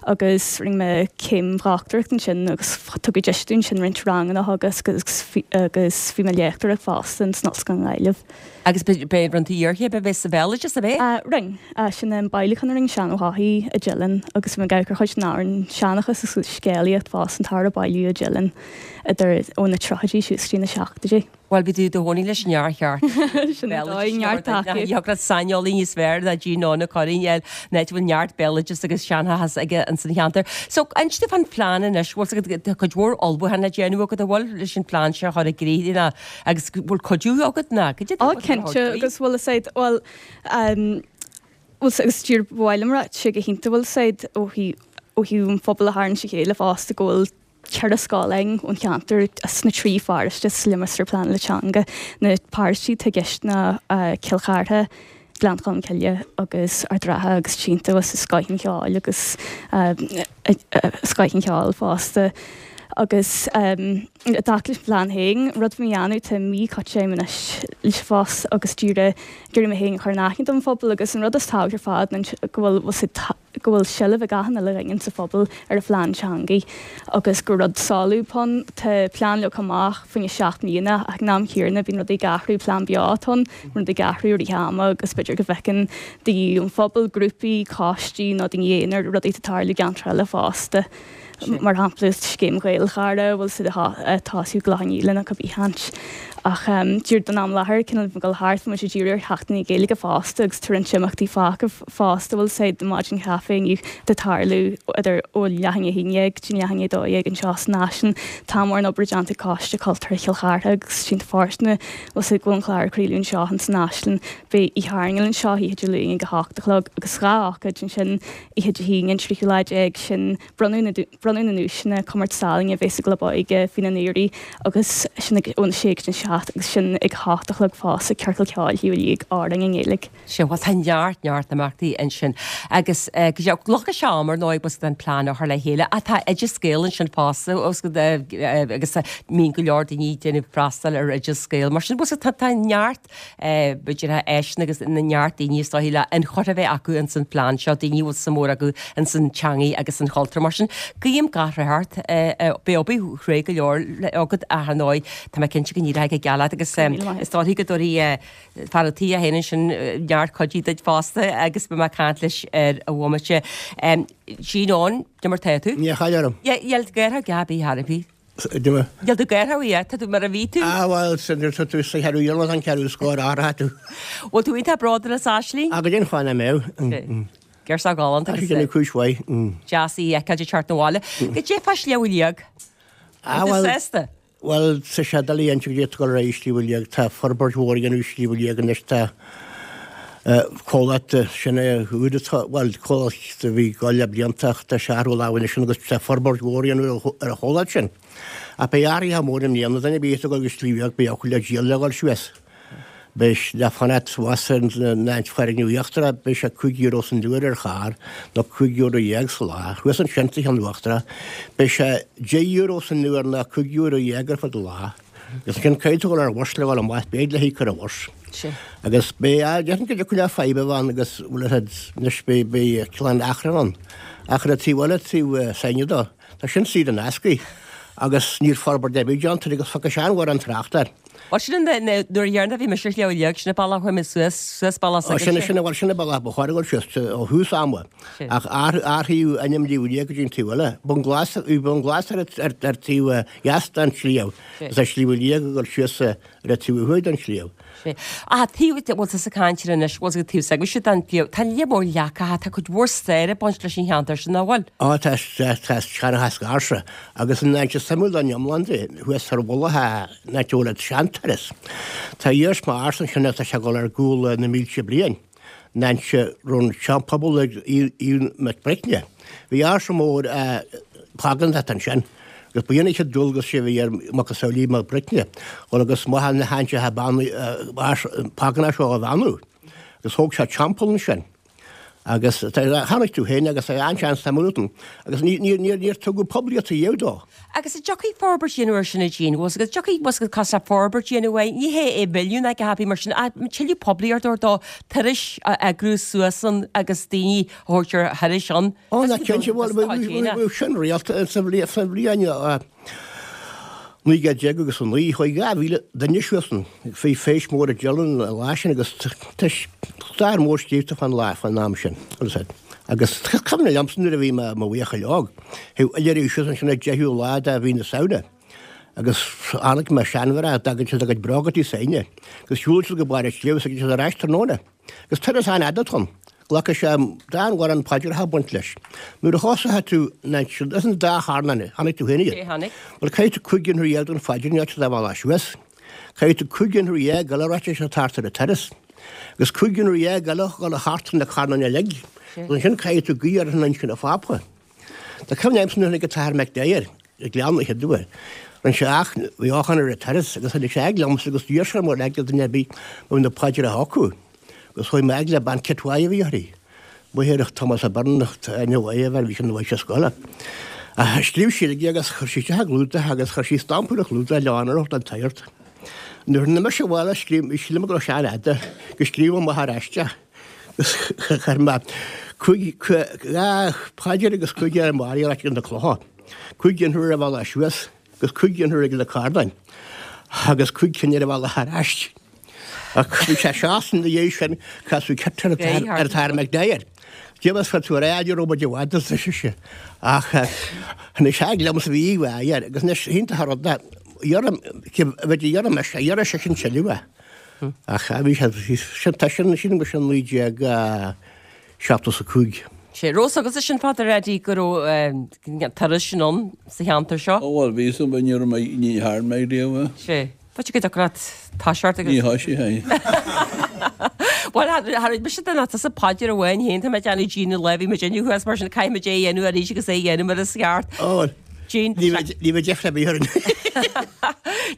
agus rinne mé céim dhochtúireachta ansin agus tugadh deis dúinn ansin roinnt ranganna a theagasc agus agus bhí mé ag léachtóireacht fosta in san Ollscoil i nGaillimh. Agus b'é rinne tú iarchéim a bheith sa bhéaloideas, ab é? Rinne. Sin an bailiúchán a rinne Seán Ó hEochaidh i dTeileann agus bhí mé ag amharc ar chuid den amhrán seanchas agus scéalaíocht fosta an t-ábhar a bailíodh i dTeileann idir ó na tríochaidí suas go dtí na seachtóidí. Bhuel, bhí tú i do chónaí leis an fhear cheart. Sin é dóigh, neart tacaíocht. Thiocfadh leat saineolaí níos fearr ná Gene Eoin Ó Curraoin a fháil, an áit a bhfuil neart béaloideas agus seanchas aige ins an cheantar. So, inis domh fán phlean anois, bhfuil 's agat, tá cuid mhór ullmhúchán le déanamh agat, an bhfuil, leis an phlean seo a chur i gcrích ná agus bhfuil cuidiú agat ná cad é Ó cinnte agus bhfuil fhios a'd bhuel bhfuil agus díreach ba mhaith liom a rá tá sé go hiontach bhfuil fhios a'd ó thaobh ó thaobh an phobal a tharraingt a chéile fosta go bhfuil ceithre scoil againn ón cheantar sna trí pharóiste sa Limistéar Pleanála Teanga na paróistí atá i gceist ná Cill Chartha, Gleann Cholm Cille agus Ard an Rátha agus iontach agus scoth an cheoil agus scoth an cheoil fosta. Agus i dtaca leis an phlean féin, rud a bhí mé a dhéanamh, tá mí caite agam anois leis an phost agus díreach ag iarraidh mé féin a chur in aithne don phobal agus an rud is tábhachtaí ar fad ná go bhfuil go bhfuil seilbh ag achan uile dhuine sa phobal ar an phlean teangaí agus gur rud solúbtha ann. Tá plean leagtha amach faoina seacht mbliana ach ag an am chéanna bíonn rudaí ag athrú, plean beo atá ann, rudaí ag athrú i rith ama agus b'fhéidir go bhfeiceann daoine ón phobal, grúpaí, coistí nó daoine aonair rudaí atá ag tarlú i gceantair eile fosta. Mar shampla, scéim Ghaelchara, bhfuil siad ag tosú i gClochán Liath nó cibé áit. Ach díreach don am i láthair, cineál ag dul thart, tá muid ag díriú ar Sheachtain na Gaeilge fosta agus tá roinnt imeachtaí fágtha fosta, bhfuil sé maidin chaife inniu ag tarlú idir ó leath i ndiaidh a haon dhéag go dtí leath i ndiaidh a dó dhéag anseo san Áislann. Tá mórán obair déanta ag Coiste Cultúrtha Chill Chartha agus Sínte Fóirsteana, bhfuil sé go bhfuil an clár ag craoladh anseo ins an Áislann. Beidh Oíche Airneáil anseo oíche Dé Luain ag a hocht a chlog agus dhá ócáid ansin oíche Dé hAoine an tríú lá déag, sin bronnadh na bronnadh na nduaiseanna, comórtas ealaíne a bheas sa gClub Óige faoina n-iarraidh agus sin ag óna sé go dtí an seacht agus sin ag a hocht a chlog fosta, Ciorcal Ceoil Shliabh Liag, amhráin i nGaeilge. Sea, bhuel tá neart, neart imeachtaí ansin agus go deo, glacfaidh sé am ar ndóigh bhfuil 's agat an plean a chur le chéile ach tá Oideas Gael ansin fosta bhfuil 's agat agus mbíonn go leor daoine ag déanamh freastal ar Oideas Gael mar sin bhfuil 's agat tá tá neart b'fhéidir áiseanna agus na neart daoine is dóichí le ionchur a bheith acu ins an phlean seo, daoine a bhfuil suim mhór acu ins an teangaidh agus an chultúr. Mar sin, guím gach rath ort. Beidh obair chruaidh go leor agat ach ar ndóigh tá mé cinnte go n-éireoidh go geal leat agus is dóichí go dtabharfaidh fear an tí é féin ansin neart cuidiú duit fosta agus beidh mé ag caint leis ar an bhomaite. Gene Eoin, cad é mar tá tú? Níl caill orm. Níl gaortha gab í thar a bhí. Níl tú gaortha í, tá tú mar a bhí tú. Ah bhuel, sin nuair tá tú sa cheathrú iarla an ceathrú scór athraithe tú. Bhfuil tú iontach bródúil as Aisling? Ah go deimhin fáth nach mbeadh. Girseach galánta agus déanamh cúis mhaith. Deas í a fheiceáil ag teacht 'na bhaile. Goidé fá Shliabh Liag. Ah bhuel. Bhfuil tú sásta? Bhuel, tá sé doiligh a inse goidé atá ag dul ar aghaidh i Sliabh Liag. Tá forbairt mhór á dhéanamh i Sliabh Liag anois. Tá comhlacht, sin é úd atá, bhuel, comhlacht a bhí ag dul le blianta ach tá sé ag athrú lámha anois agus tá forbairt mhór á dhéanamh ar an chomhlacht sin. Ach beidh athruithe móra i mbliana. Duine ar bith atá ag dul go Sliabh Liag beidh eochair le díol le dhul suas. Beidh le fanacht abhus ar an foirgneamh íochtarach, beidh sé cúig euro san uair ar charr, nó cúig euro dhéag sa lá. Thuas ansin sa cheann uachtarach, beidh sé deich euro san uair nó cúig euro dhéag ar fud an lá. Agus ansin caithfidh tú dul ar bhus le dhul amach, beidh le híoc ar an bhus. Agus beidh, déarfainn go dtiocfadh le fadhb a bheith ann agus bhfuil a fhios agat, anois beidh, beidh cineál achrann ann. Ach ar an taobh eile, taobh s'againne dó, tá sin saor in aisce agus níl forbairt ar bith déanta air agus fágfaidh sé an-mhórán tráchta air. Bhuel, sin an nuair dheireanach a bhí mise ar Shliabh Liag, sin an bealach a chuaigh mé suas, suas bealach Ó, sin, sin, bhuel, sin an bealach ba chóir a dhul suas ó thús ama. Ach athraíodh ainm Shliabh Liag go dtí an taobh eile. Bun Glas, bhí Bun Glas ar, ar, ar taobh dheas den sliabh. Is é Sliabh Liag ag dul suas ar an taobh thuaidh den sliabh. Sea. Ach taobh, bhfuil tusa ag caint air anois, bhfuil taobh s'agaibhse den sliabh, tá lear mór leacacha, tá cuid mhór staire ag baint leis an cheantar sin, nach bhfuil? Ó, tá, tá, tá seanchas ársa agus an áit is suimiúla den iomlán de, thuas ar mhullach an áit a bhfuil an seanturas. Tá iarsma ársa ansin atá sé ag dul ar gcúl na mílte bliain. An áit a raibh an seanphobal ag Aodh Mac Bricne. Bhí ársa mór págánach ansin agus ba é an chéad dualgas a bhí ar macasamhail Aodh Mac Bricne dhul agus maithe na háite págánach seo a bheannú. Agus thóg sé teampall ansin. Agus chonaic tú féin agus é an-sean-suimiúil agus níor tugadh poiblíocht riamh dó. Agus an dtiocfaidh forbairt a dhéanamh air sin a Jean, bhfuil agus dtiocfaidh bhfuil agus costas forbairt a dhéanamh air, ní hé é milliún ag a happy mar sin, tuilleadh poiblíocht a thabhairt dó, turais a eagrú suas ann agus daoine a thabhairt ar thurais ann. Ó, na cinnte, bhuel, bhí sin rialta sa bhliain naoi gcéad déag agus a naoi, chuaigh dhá mhíle duine suas ann. Bhí feis mór i Dillon an lá sin agus tá stair mhór scríofa fán lá, fán am sin. Agus cuimhin liomsa nuair a bhí mé i mo bhuachaill óg, théadh oilithrigh suas ansin an deichiú lá de mhí na Samhna agus chonaic mé seanmhná, d'fhágaidís a gcuid bróga tigh s'éinne agus shiúladh siad go barr an tsléibhe agus thagadh siad ar ais tráthnóna. Agus turas an-fhada atá ann. Glacfaidh sé dán mhór an paidreacha a bhaint leis. Nuair a thosóidh tú is an dá charn chonaic tú féin iad. Tháinig. Bhuel caithfidh tú cúig ionthar dhéag don phaidir ní áit dá bhealach suas. Caithfidh tú cúig ionthar dhéag eile ráite sé thart ar an turas. Agus cúig ionthar dhéag eile dhul thart ar na carnáin uilig. Agus ansin caithfidh tú guí ar an inchinn a phápa. Tá cuimhne agamsa nuair a tháinig an tAthair McDyer ag Gleann na chéad uair. Rinne sé ach bhí eochair ar an turas agus tháinig sé ag liomsa agus d'iarr sé orm ar eagla duine ar bith a bhí na paidreacha acu. Agus chuaigh mé le bean Kit Mhaigh a bhí uirthi. Máthair Thomas Byrne aithne mhaith a bheith bhí sin mhaith sa scoil. Scríobh sí aige agus chuir sí isteach i gclúdach agus chuir sí stampa ar an chlúdach le onóir don tsagart. Nuair a tháinig mise abhaile scríobh sílim go raibh sé an-fhada go scríobh amach ar ais agus chuir mé cúig dhá phaidir agus cúig Ave Maria ar na clocha. Cúig ionthar ar bhealach suas agus cúig ionthar ag na carnáin agus cúig cinn ar a bhealach ar ais. Ach bhí sé seachtain ina dhiaidh sin casadh Kit ar an tAthair McDyer. Déanamh fá tú ar air ó muid i bhfad is sise. Ach tháinig sé liomsa bhí aoibh air agus anois iontach an rud é bheith iarraidh mise iarraidh sé sin tuilleadh é. Ach bhí sé sin tá sin sin go sin naoi déag seachtó is a cúig. Sé raibh a fhios agatsa sin Father Eddie go raibh turas sin ann sa cheantar seo. Ó bhuel bhí san ní raibh mé ní dhearn mé riamh é. Sé. B'fhéidir go dtiocfadh leat toiseacht agus. Ní thoisigh é. Bhuel tha raibh mise den tusa paidir amháin féin tá mé ag déanamh Jean an lá bhí muid inniu thuas mar sin caithfidh muid é a dhéanamh arís agus é a dhéanamh mar is ceart. Ó Jean ní bheidh ní bheidh deifre ar bith orainn.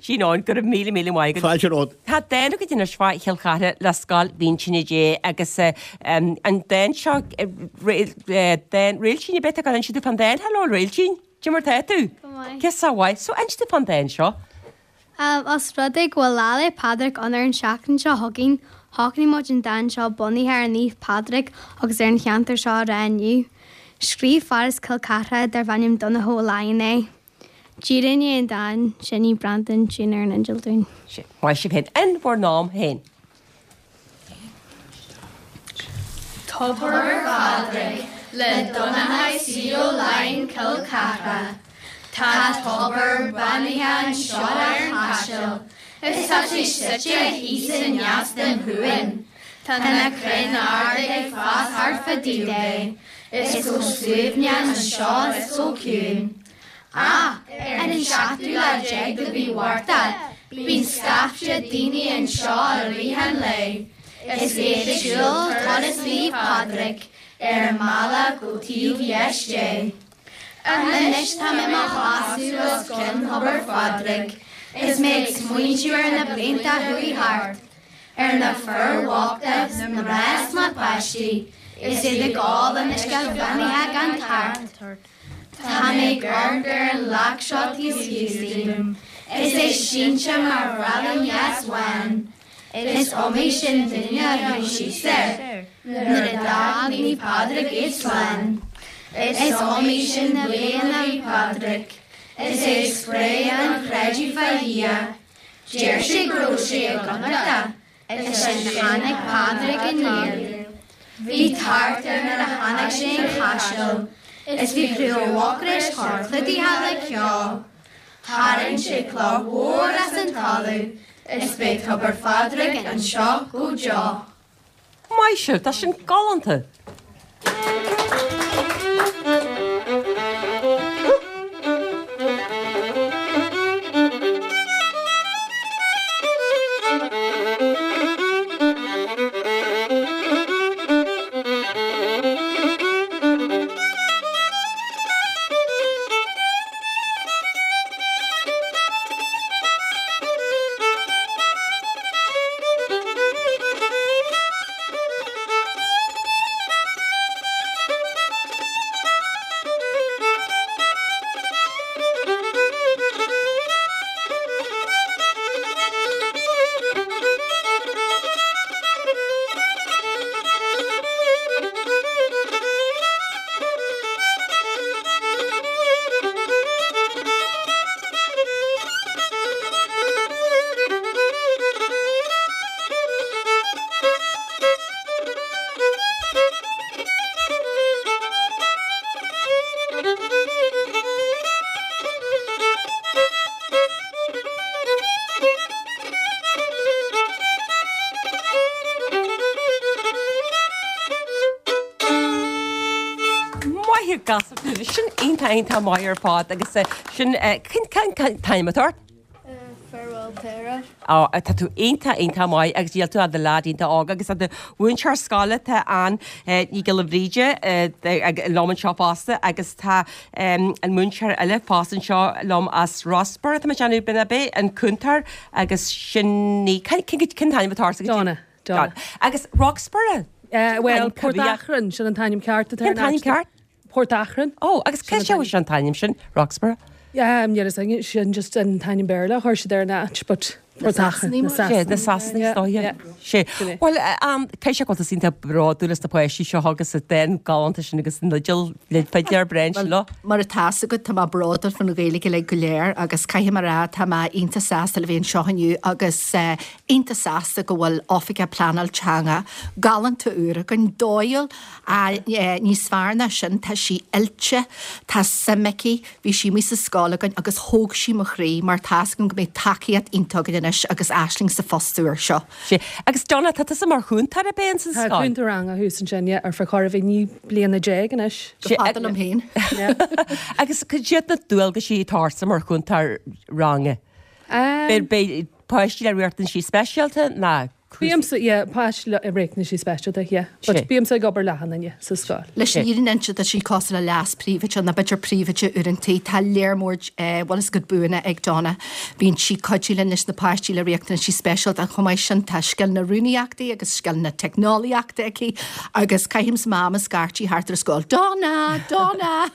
Jean Eoin, go raibh míle míle maith agat. Fáilte romhat. Tá dán agat anois fá Chill Chartha le Scoil Mhínse Dé agus an dán seo dán Réiltín ar bith atá inse fán dán Hello Réiltín, Cad é mar tá tú? Go maith. Cé sa mhaith? So inse fán dán seo. Os rud é go bhfuil Lá 'le Pádraig ann ar an seachtain seo chugainn, shocraigh muid an dán seo bunaithe ar Naomh Pádraig agus ar an cheantar seo a rá inniu. Scríobh fear as Cill Chartha darb ainm Donnchadh Ó Laighin é. Díreach i ndiaidh an dáin, seinnfidh Breandán tiún ar an fhidil dúinn. Sin. Maith sibh féin. In bhur n-am féin. Tobar Phádraig le Donnchadh C. Ó Laighin, Cill Chartha. Tá tobar beannaithe anseo ar an Chaiseal is tá sé suite thíos i ndeas den chuan. Tá na crainn arda ag fás thart fá dtaobh de. Is chomh suaimhneach anseo is chomh ciúin. Ach ar an seachtú lá déag de mhí Mhárta bíonn scaifte daoine anseo i rith an lae is iad ag siúl turas Naomh Pádraig ar an mbealach go taobh dheis de. Anois tá mé i mo sheasamh os cionn Thobar Phádraig is mé ag smaointiú ar na blianta a chuaigh thart, ar na fir bhochta, na mná is na páistí is iad ag ól an uisce bheannaithe gan tart. Tá mé ag amharc ar an leac seo taobh thíos díom is é sínte mar bhraillín dheas bhán. Is iomaí sin duine a chuaigh síos air nuair a d'fhág Naomh Pádraig iad slán. Is iomaí sin bliain a bhí Pádraig is é ag spréadh an chreidimh fá Dhia. Deir sé go raibh sé i gConnachta is ansin tháinig Pádraig aniar. Bhí tart air nuair a tháinig sé an Chaiseal is bhí Craobh Mhucrois chomh clúdaithe le ceo. Tharraing sé cloch mhór as an talamh is beidh Tobar Phádraig anseo go deo. Maith sibh, tá sin galánta! Gasúr sin iontach iontach maith ar fad agus sin cén t-ainm atá ort? Farewell Tara. Á, tá tú iontach iontach maith agus níl tú ach i do leaid iontach óg agus tá do mhúinteoir scoile tá Ann Ní Ghiolla Bhríde liom anseo fosta agus tá an múinteoir eile fosta anseo liom as Rossborough tá mé ag déanamh b'in ab é an cúntóir agus sin í cén t-ainm atá ort? Donna. Donna. Agus Roxborough? Bhuel, Port Achrann, sin an t-ainm ceart atá ar Cén t-ainm ceart? Port Achrann. Ó, agus cé sé an t-ainm sin, Roxborough? Yeah, níl a fhios agam, sin just an t-ainm Béarla a chuir siad ar an áit, but Port Achrann, na Sasanaigh. Na Sasanaigh, is dóiche. Sé. Bhuel, caithfidh sé go bhfuil tusa iontach bródúil as na páistí seo agus an dán galánta sin agus an fhidil, fidléir breá sin leo. Mar atá fhios agat, tá mé bródúil faoin Ghaeilge uilig go léir agus caithfidh mé a rá, tá mé iontach sásta le bheith anseo inniu agus iontach sásta go bhfuil Oifigeach Pleanáil Teanga galánta úr againn, dóighiúil, níos fearr ná sin, tá sí oilte, tá suim aici, Bhí sí amuigh sa scoil againn agus thóg sí mo chroí mar tá fhios agam go mbeidh tacaíocht iontach againn anois agus Aisling sa phost úr seo. Sea. Agus Donna, tá tusa mar chúntóir ab é ins an Tá scoil? cúntóir ranga thuas ansin, yeah, ar feadh chóir a bheith naoi bliana déag anois. Go fada liom féin. Agus cad iad na dualgaisí atá ortsa mar chúntóir ranga? Um, Beidh páistí le riachtanaisí speisialta ná Bímse, yeah, páistí le riachtanaisí speisialta, yeah. But bímse ag obair le achan duine sa scoil. Leis an fhírinne a inse tá sí cosúil le leas-phríomhoide nó b'fhéidir príomhoide uaireanta. Tá léar mór bhfuil fhios agat buanna ag Donna. Bíonn sí cuidiú linn leis na páistí le riachtanaisí speisialta. Chomh maith sin tá scileanna rúnaíochta agus scileanna teicneolaíochta aici agus caithimse m'am ag scairtigh thart ar an scoil, Donna! Donna!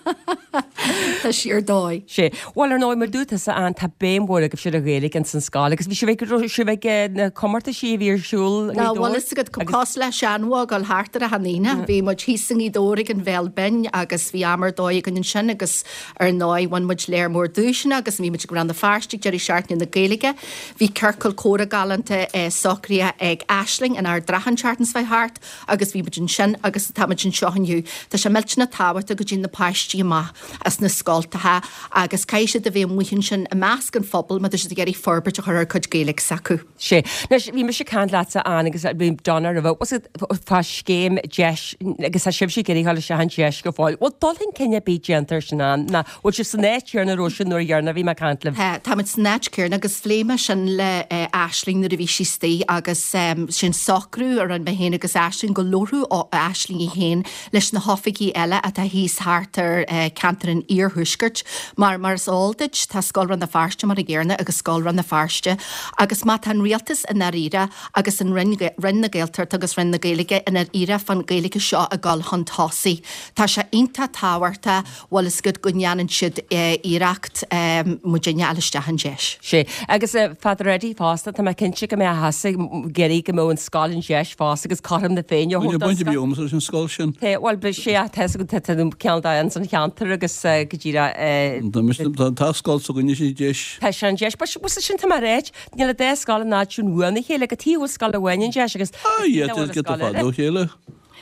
Tá sí ar dóigh. Sea. Bhuel, ar ndóigh, mar dúirt tusa, Ann, tá béim mhór agaibhse ar an Ghaeilge ins an scoil agus bhí sibh ag, sibh ag na comórtaisí a bhí ar siúl i Ná nGaoth bhfuil Dobhair fhios agat agus. cosúil le seanbhó ag dul thart ar achan aoine. Bhí muid thíos i nGaoth Dobhair ag an Bhéal Binn agus bhí am ar dóigh againn ansin agus ar ndóigh bhain muid léar mór duaiseanna agus bhí muid ag Rann na Feirste ag deireadh seachtaine na Gaeilge. Bhí ciorcal comhrá galánta socraithe ag Aisling in Ard an Rátha an tseachtain seo thart agus bhí muid ansin agus tá muid anseo inniu. Tá sé millteanach tábhachtach go dtéann na páistí amach as na scoltacha agus caithfidh siad a bheith amuigh ansin i measc an phobail má tá siad ag iarraidh forbairt a chur ar cuid Gaeilge s'acu. Sea. Anois, bhí mise ag caint leatsa, Ann, agus bhí Donna roimhe, was it fá scéim deis agus tá sibhse ag iarraidh dul isteach in deis go fóill. Bhfuil dul chun cinn ar bith déanta ar sin, Ann, nó bhfuil sibh san áit chéanna a raibh sibh nuair dheireanach a bhí mé ag caint libh? Tá, táimid san áit chéanna agus phléigh mé sin le Aisling nuair a bhí sí istigh agus sin socrú a rinne mé féin agus Aisling go labhródh Aisling í féin leis na hoifigigh eile atá thíos thart ar cheantar an iarthuaiscirt mar mar is eol duit tá Scoil Rann na Feirste mar an gcéanna agus Scoil Rann na Feirste agus má tá an rialtas i ndáiríre agus an Roinn Roinn na Gaeltachta agus Roinn na Gaeilge i ndáiríre fán Ghaeilge seo ag dul chun tosaigh tá sé iontach tábhachtach bhfuil fhios agat go ndéanann siad iarracht muidinne a fháil isteach in deis. Sea. Agus Father Eddie fosta, tá mé cinnte go mbeadh tusa ag iarraidh go mbeadh an scoil in deis fosta agus cothrom na Féinne a Bhain thabhairt don baint a bhí scoil. agamsa leis an scoil sin. Tá, bhuel, ba sea, tá fhios agat, tá tú ceann de ins an cheantar agus go díreach. Tá mise, tá, tá scoil s'againne i ndeis. Tá sé in deis, but sin tá mé a ráit, níl an dá scoil in áit sin uainn a chéile, cad chuige a bhfuil scoil amháin in deis agus Ah, yeah, cad chuige nach bhfuil giota scoil fada eile? ó chéile.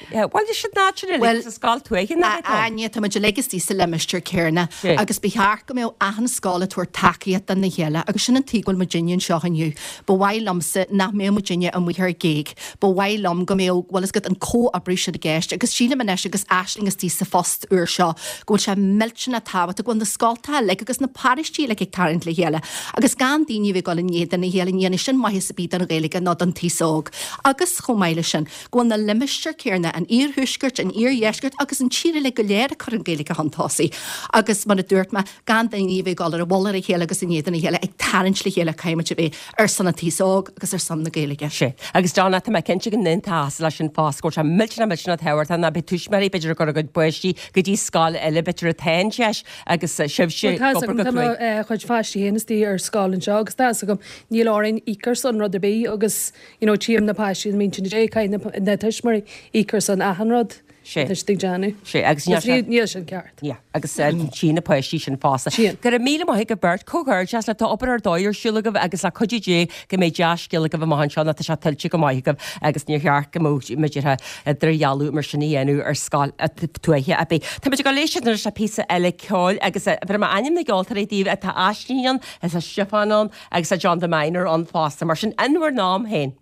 Bhuel, sin áit sin uilig, Bhuel, sa scoil tuaithe nach a é? Áine, tá muid uilig istigh sa limistéar céanna Sea. agus ba cheart go mbeadh achan scoil ag tabhairt tacaíocht dona chéile agus sin an tuige go bhfuil muidinne anseo inniu. Ba mhaith liomsa nach mbeadh muidinne amuigh ar géag. Ba mhaith liom go mbeadh, bhfuil fhios agat, an comhoibriú sin i gceist agus sílim anois agus Aisling istigh sa phost úr seo go bhfuil sé millteanach tábhachtach go bhfuil na scoltacha uilig agus na paróistí uilig ag tarraingt le chéile agus gan daoine a bheith ag dul in éadan a chéile, ní dhéanfaidh sin maitheas ar bith don Ghaeilge ná don taos óg. Agus chomh maith leis sin, go bhfuil na limistéir céanna, an iarthuaiscirt, an iardheiscirt agus an tír uilig go léir ag cur an Ghaeilge chun tosaigh. Agus mar a dúirt mé, gan daoine a bheith ag dul ar a mhullach ar a chéile agus in éadan a chéile, ag tarraingt le chéile caithfidh muid a bheith ar son an taos óg agus ar son na Gaeilge. Sea. Agus Donna, tá mé cinnte go n-aontófá leis sin fosta, go bhfuil sé millteanach millteanach tábhachtach ná beidh tuismitheoirí b'fhéidir ag cur a gcuid páistí go dtí scoil eile b'fhéidir atá in deis agus sibhse Bhuel, tá ag fhios obair agam, go tá mo cruaidh. chuid pháistí féin istigh ar scoil anseo agus tá fhios agam, níl orainn íoc ar son rud ar bith agus you know tchím na páistí na mbíonn siad caithfidh na tuismitheoirí íoc ar son achan rud Sea. atá siad ag déanamh. Sea, agus níl Agus sé. níl sin ceart. Yeah, agus tchí na páistí sin fosta. Tchíonn. Go raibh míle maith agaibh beirt, comhghairdeas le tá obair ar dóigh ar siúl agaibh agus le cuidiú Dé go mbeidh dea-scéal agaibh amach anseo nó tá sé tuillte go maith agaibh agus níor cheart go mbeadh muid ar idirdhealú mar sin a dhéanamh ar scoil tuaithe ar bith. Tá muid ag dul éisteacht anois le píosa eile ceoil agus bhí mé ainm na gceoltóirí daoibh atá Aisling ann, tá Stiofán ann agus tá John the Miner ann fosta, mar sin in bhur n-am féin.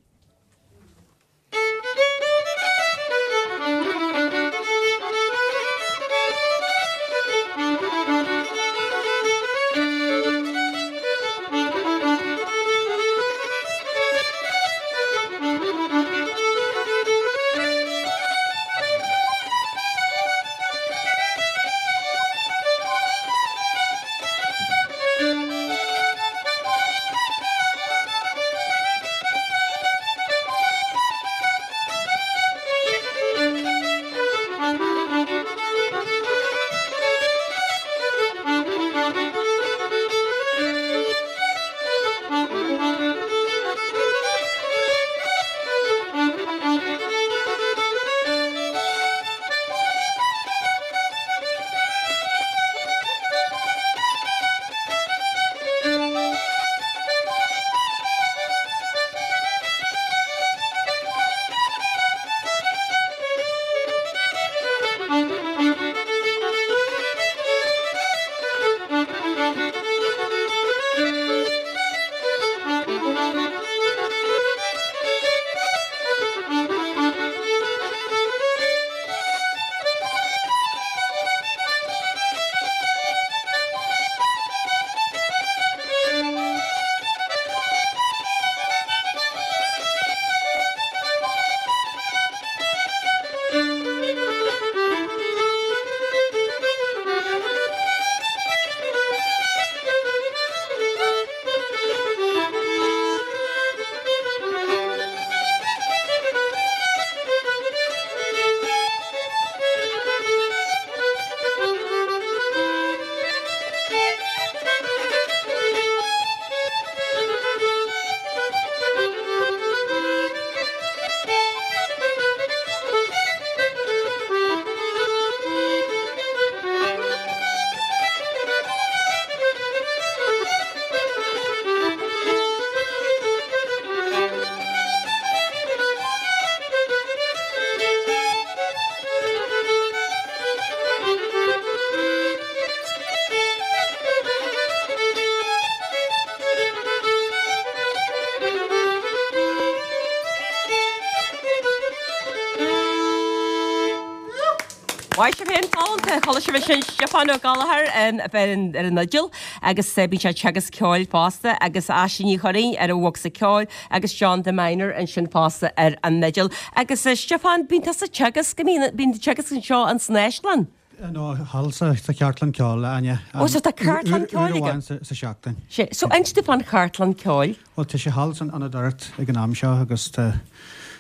Mhaith sibh féin galánta, chuala sibh ansin Stiofán Ó Gallchóir ar an fhidil agus bíonn sé ag teagasc ceoil fosta agus Aisling Ní Churraoin ar an bhocsa ceoil agus John de Minor ansin fosta ar an fhidil. Agus Stiofán, bíonn tusa ag teagasc, bíonn teagasc anseo in san Áislann? No, thall sa cheardlann ceoil, Áine. Ó, so tá ceardlann ceoil aige? Uair amháin sa seachtain. Sé, so inis domh fán cheardlann ceoil. Bhuel, tá sé thall san Ionad Oidhreachta ag an am seo agus tá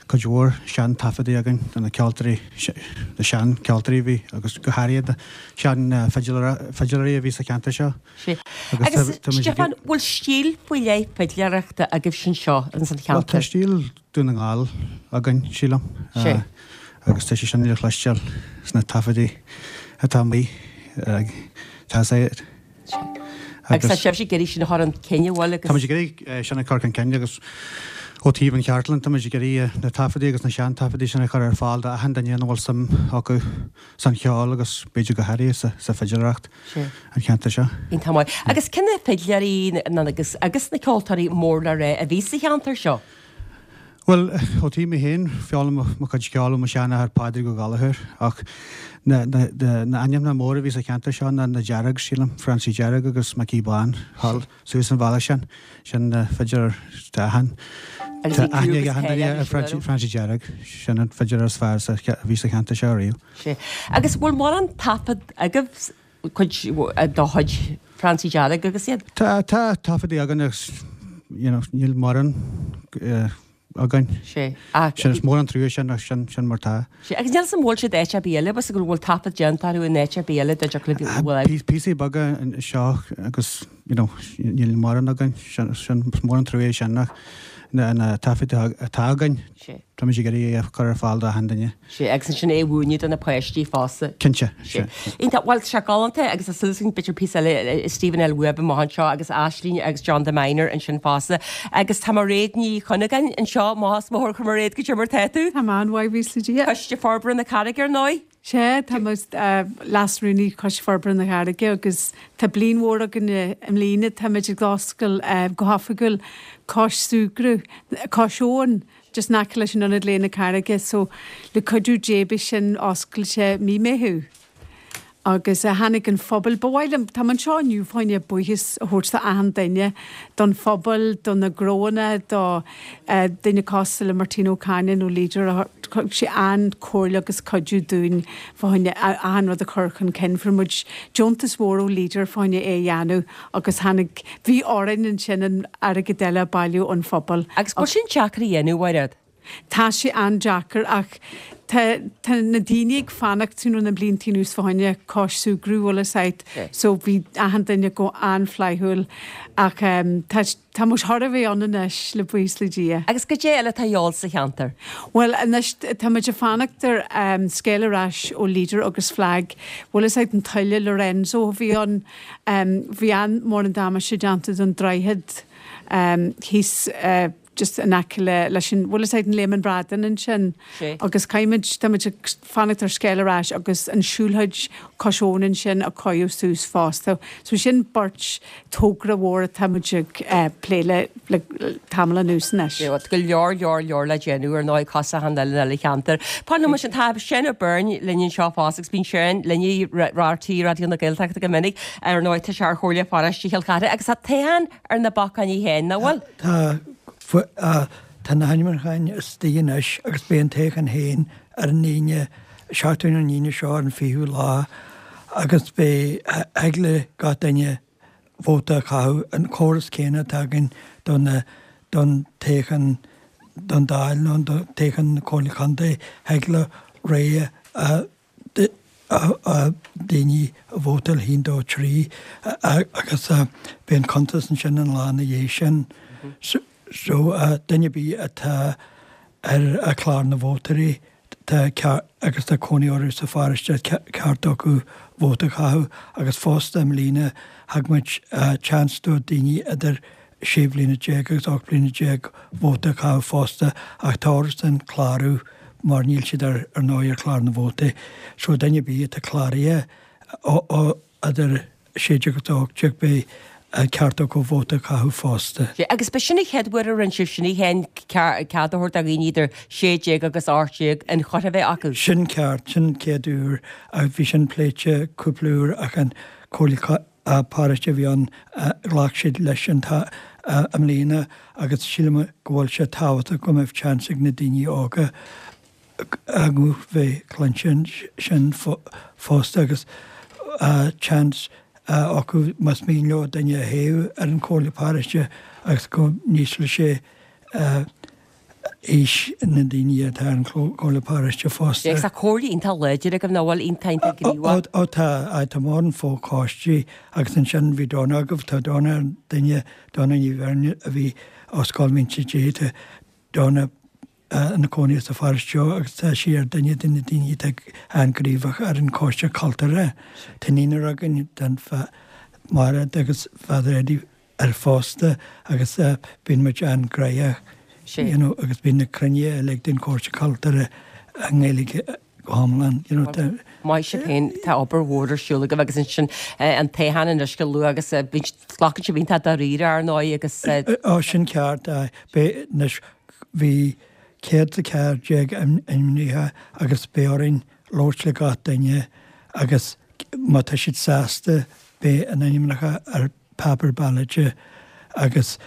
cuid mhór sean-taifeadaí againn de na ceoltóirí, na sean-cheoltóirí a bhí agus go háirithe de sean-fhidléirí a bhí sa cheantar seo. Sea. Agus Stiofán, bhfuil stíl faoi leith fidléireachta agaibhse anseo ins an cheantar? Bhuel, tá stíl Dún na nGall againn, sílim. Sea. Agus tá sé sin le cloisteáil sna taifeadaí atá amuigh. Tá sé. Agus tá sibhse ag iarraidh sin a chur chun cinn, an bhfuil agus. Táimid ag iarraidh sin a chur chun cinn agus ó taobh an cheardlann táimid ag iarraidh na taifeadaí agus na sean-taifeadaí sin a chur ar fáil do achan duine ina bhfuil suim acu san cheol agus b'fhéidir go háirithe sa sa fidléireacht an cheantar seo. Iontach maith. Agus cé na fidléirí agus agus na ceoltóirí mór le rá a bhí sa cheantar seo? Bhuel, ó taobh mé féin, foghlaim mo chuid ceoil ó mo sheanathair Pádraig Ó Gallchóir ach na na ainmneacha móra a bhí sa cheantar seo ná na Deargs, sílim, Francie Dearg agus Micí Bán, thall suas an bhealach sin, sin na fidléirí tá achan Agus tá bhí clú aithne ag agus achan cáil duine orthu ar sin Francie orthu. Francie Dearg, sin an fidléir is fearr sa a bhí sa cheantar seo ariamh. Sea. Agus bhfuil mórán taifead agaibh cuid de chuid Francie Dearg agus iad? Tá tá taifeadaí againn agus you know níl mórán eh, againn. Sea. Ach. Sin is mór an trua sin ach sin sin mar tá. Sea. Agus níl 'fhios a'm bhfuil siad áit ar bith eile, bhfuil go bhfuil taifead déanta orthu in áit ar bith eile dá dtiocfadh le bhfuil. Píosaí beaga anseo agus you know níl mórán againn. Sin sin is mór an trua é sin ach na na taifid atá againn Sea. táimid ag iarraidh é a chur ar fáil do achan duine. Sea, agus ansin é a mhúineadh do na páistí fosta. Cinnte, Sea. sea. Iontach, bhuel, tá sé galánta agus tá súil againn b'fhéidir píosa eile Stephen L. Webb amach anseo agus Aisling agus John de Minor ansin fosta. Agus tá Mairéad Ní Chuinneagáin anseo, maith as mo chur Mairéad, goidé mar tá tú? Tá mé an-mhaith, buíochas le Dia. Coiste Forbartha na Carraige ar ndóigh. Sea, tá mé Leas-Rúnaí Choiste Forbartha na Carraige agus tá bliain mhór againn i mbliana. Táimid ag oscailt go hoifigiúil Cois Súgradh, Cois Abhann, just in aice leis an Ionad Lae na Carraige so le cuidiú Dé beidh sin oscailte mí Meitheamh. Agus tháinig an phobal, ba mhaith liom, tá mé anseo inniu fá choinne buíochas a thabhairt do achan duine, don phobal, do na gnóanna, do duine cosúil le Martin Ó Cainín ó Leader a thug sé an-chomhairle agus cuidiú dúinn fá choinne achan rud a chur chun cinn. Fuair muid deontas mhór ó Leader fá choinne é a dhéanamh agus tháinig, bhí orainn ansin an airgead eile a bailiú ón phobal. Agus bhfuil sin deacair a dhéanamh, Mhairéad? Tá sé an-deacair ach tá tá na daoine ag fanacht you know na blianta anuas fá choinne cois súgradh bhfuil fhios a'd so bhí achan duine go an-fhlaithiúil ach ehm tá tá muid chóir a bheith ann anois le buíochas le Dia. Agus goidé eile atá a dhíobháil sa cheantar? Bhuel anois tá muid ag fanacht ar ehm scéal ar ais ó Leader agus FLAG bhfuil fhios a'd an tuile Lorenzo a bhí ann ehm bhí an-mhór an damáiste déanta don droichead ehm thíos eh just in aice le leis an, bhfuil fhios a'd an Léim an Bhradáin ansin agus caithfimid, táimid ag fanacht ar scéal ar ais agus an siúlóid cois abhann ansin a choinneáil suas fosta. So sin beirt togra mhór atá muid ag plé le le tamall anuas anois. Sea, go leor, leor, leor le déanamh ar ndóigh cosúil le achan uile cheantar. Fan liom ansin, tá Seán Ó Beirn linn anseo fosta agus bíonn Seán linn i RTÉ Raidió na Gaeltachta go minic ar ndóigh tá sé ar Chomhairle Pharóiste Chill Chartha agus tá toghchán ar na bacáin féin, nach bhfuil? Tá. Tá na hainmniúcháin istigh anois agus beidh an toghchán féin ar an Aoine, seachtain ón Aoine seo ar an fichiú lá agus beidh, thig le gach duine vóta a chaitheamh, an córas céanna atá againn do na, don toghchán don Dáil nó don toghchán na Comhairle Contae, thig le rogha a daoine a vótáil haon dó trí agus beidh an cuntas ansin an lá ina dhiaidh sin. So duine ar bith atá ar chlár na vótóirí tá agus tá cónaí orthu sa pharóiste ceart acu vóta a chaitheamh agus fosta i mbliana thug muid chance do daoine idir sé bhliana déag agus ocht bliana déag vóta a chaitheamh fosta ach tá orthusan clárú mar níl siad ar ar ndóigh ar chlár na vótaí. So duine ar bith atá cláraithe ó idir sé déag agus ocht déag beidh ceart acu vóta a chaitheamh fosta. Sea, agus ba sin an chéad uair a rinne sibh sin, an cead a thabhairt do dhaoine idir sé déag agus ocht déag an chruth a bheith acu. Sin ceart, sin an chéad uair agus bhí sin pléite cúpla uair ach an Comhairle Paróiste a bhí ann, ghlac siad leis an i mbliana agus sílim go bhfuil sé tábhachtach go mbeadh seans ag na daoine óga a nguth bheith cluinte ansin fosta agus seans acu más mian leo duine a thoghadh ar an Chomhairle Paróiste agus go n-ísleodh sé aois na ndaoine atá ar an Chomhairle Paróiste fosta. Agus tá comhairle iontach láidir agaibh nach bhfuil iontach iontach gníomhach. Ó tá, tá mórán fochoistí agus ansin bhí Donna agaibh, tá Donna ar duine, Donna Ní Bheirn a bhí ó Scoil Mhínte Dé, tá Donna ina cónaí sa pharóiste seo agus tá sí ar duine de na daoine atá an-ghníomhach ar an Choiste Cultúrtha. Tá naonúr againn, tá Mairéad agus Father Eddie air fosta agus bíonn muid an-ghnóthach you know agus bíonn na cruinnithe uilig den Choiste Cultúrtha i nGaeilge go hiomlán you know tá Maith sibh féin, tá obair mhór ar siúl agaibh agus ansin an toghchán anois go luath agus glacann sibh iontach dáiríre ar ndóigh agus. Ó sin ceart, beidh anois Bhí céad is a ceathair déag ainmnithe agus beidh orainn labhairt le gach duine agus má tá siad sásta beidh a n-ainmneacha ar paper ballot agus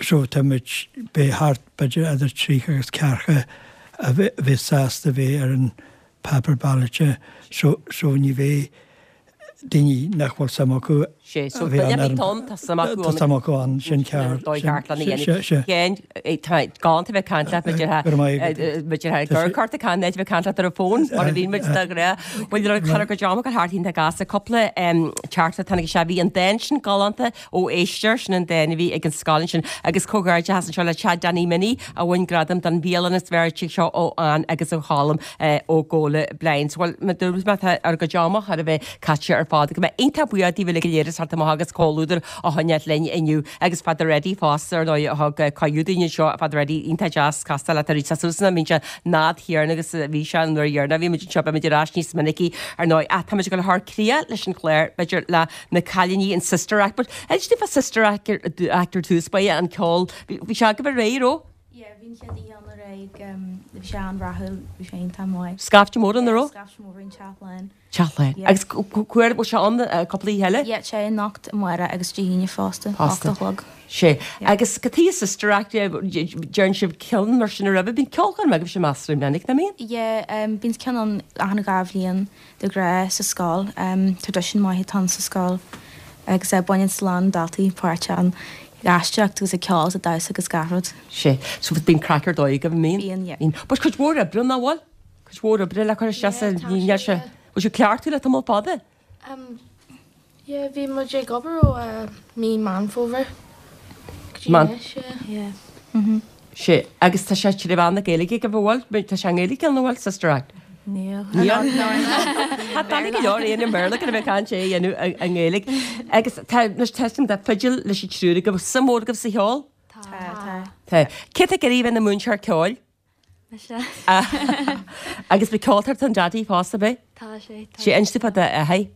so tá muid, beidh thart b'fhéidir idir tríocha agus ceathracha a bheas sásta bheith ar an paper ballot so so ní bheidh daoine nach bhfuil suim acu Sé, so duine ar bith ann, tá suim acu ann. Tá suim acu ann, sin ceart. Dóigh ceart lena dhéanamh. Sea, sea. Féin, tá galánta bheith ag caint leat, muid ar Go raibh maith agat. muid ar gur cort ag caint, bheith ag caint leat ar an bhfón, mar a bhíonn muid de ghnáth. Bhuel, ar chur go deo go thart iontach gasta, cúpla teachtaireacht a tháinig isteach, bhí an dán sin galánta ó éisteoir, sin an dán a bhí ag an scoil ansin, agus comhghairdeachas anseo le Chad Danny Minnie a bhain gradam don bhialann is fearr tigh seo ó Ann agus ó Cholm. ó Gabhla Blinds. Bhuel, mar a dúirt mé, tá ár gcuid ama thar a bheith caite ar fad. Go mbeidh iontach buíoch daoibh uilig go léir as teacht amach agus comhluadar a choinneáilt linn inniu. Agus Father Eddie fosta, ar ndóigh, a thug cuireadh dúinn anseo. Father Eddie, iontach deas castáil leat arís. Tá suas ina mbíonn sé nád thiarna agus bhí sé an uair dheireanach a bhí muid anseo. Beidh muid ar ais níos minicí, ar ndóigh. Ach tá muid ag dul a chur críoch leis an chlár, b'fhéidir, le na cailíní in Sister Act. But inis dúinn fá Sister Act ar dtús, ba é an ceol, bhí sé agaibh aréir, raibh? Yeah, bhí an chéad oíche ann aréir, bhí sé an-rathúil, bhí sé iontach maith. Scaifte mór ann, an raibh? Yeah, scaifte mór, bhí an teach lán. Teach lán. Yeah. Agus cá huair, bhfuil sé ann cúpla oíche eile? Yeah, tá sé anocht, amárach agus Dé hAoine fosta, Fosta. ocht a chlog. Sé. Yeah. Agus cad chuige Sister Act, deireann sibh ceann mar sin roimhe, bíonn ceolchoirm agaibh sin meastar minic, nach mbíonn? Yeah, bíonn ceann ann achan dhá bhliain. De ghnáth sa scoil. Traidisiún maith atá ann sa scoil agus baineann a lán daltaí páirt ann, ag aisteoireacht agus ag ceol agus ag damhsa agus gach rud. Sé. So bíonn craic ar dóigh agaibh, an mbíonn? Bíonn, yeah. Bíonn. But cuid mhór oibre ann, nach bhfuil? Cuid mhór oibre le cur isteach sa, Yeah, tá níl sé, sé, yeah. bhfuil sibh cleachtaithe le tamall fada? Um, yeah, bhí muid ag obair ó mí Meán Fómhair go dtí anois, yeah. Yeah. Mhm. Sé, agus tá sé trí mheán na Gaeilge agaibh, an bhfuil? Tá sé i nGaeilge, an bhfuil, Sister Act? Níl. Níl? Tá doiligh go leor é i mBéarla gan a bheith ag caint é a dhéanamh i nGaeilge. Agus tá, anois tá tá fidil leis an triúr agaibh, suim mhór agaibh sa cheol? Tá. Tá. Tá. Cé tá ag iarraidh a bheith ina múinteoir ceoil? Mise. Agus bhí ceoltóir tá an Daidí fosta, ab ea? Tá sé, tá. Sé, inis dúinn fá d'athair.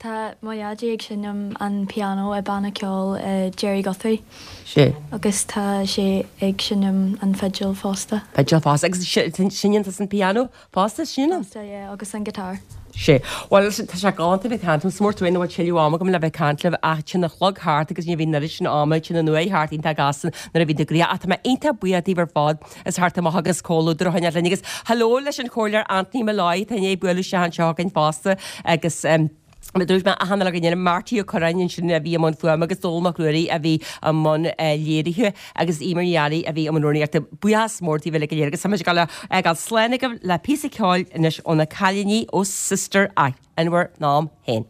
Tá mo dhaidí ag seinm an pianó i banna ceoil i Gerry Guthrie. Sé. Agus tá sé ag seinm an fidil fosta. Fidil fosta. Agus seinneann tusa an pianó fosta, seinneann? Fosta, yeah, agus an guitar. Sé. Bhuel, tá sé galánta bheith ag caint liom. Is mór trua nach bhfuil tuilleadh ama agam le bheith ag caint libh ach téann an clog thart agus ní bhíonn an oiread sin ama, téann an uair thart iontach gasta nuair a bhíonn tú gnoitheach. Ach tá mé iontach buíoch daoibh ar fad as theacht amach agus comhluadar a choinneáil linn. Agus hello leis an Chomhairleoir Anthony Molloy atá i ndiaidh bualadh isteach anseo chugainn fosta agus Mar a dúirt mé achan uile dhuine, Marty Ó Curráin ansin a bhí i mbun fuaime agus Dónal Mac Ruairí a bhí i mbun léirithe agus Eimear Ní Fhearraigh a bhí i mbun rúnaíochta. Buíochas mór daoibh uilig go léir agus tá muid ag dul a fhágáil slán agaibh le píosa ceoil anois ó na cailíní ó Sister Act, In Bhur nAm Féin.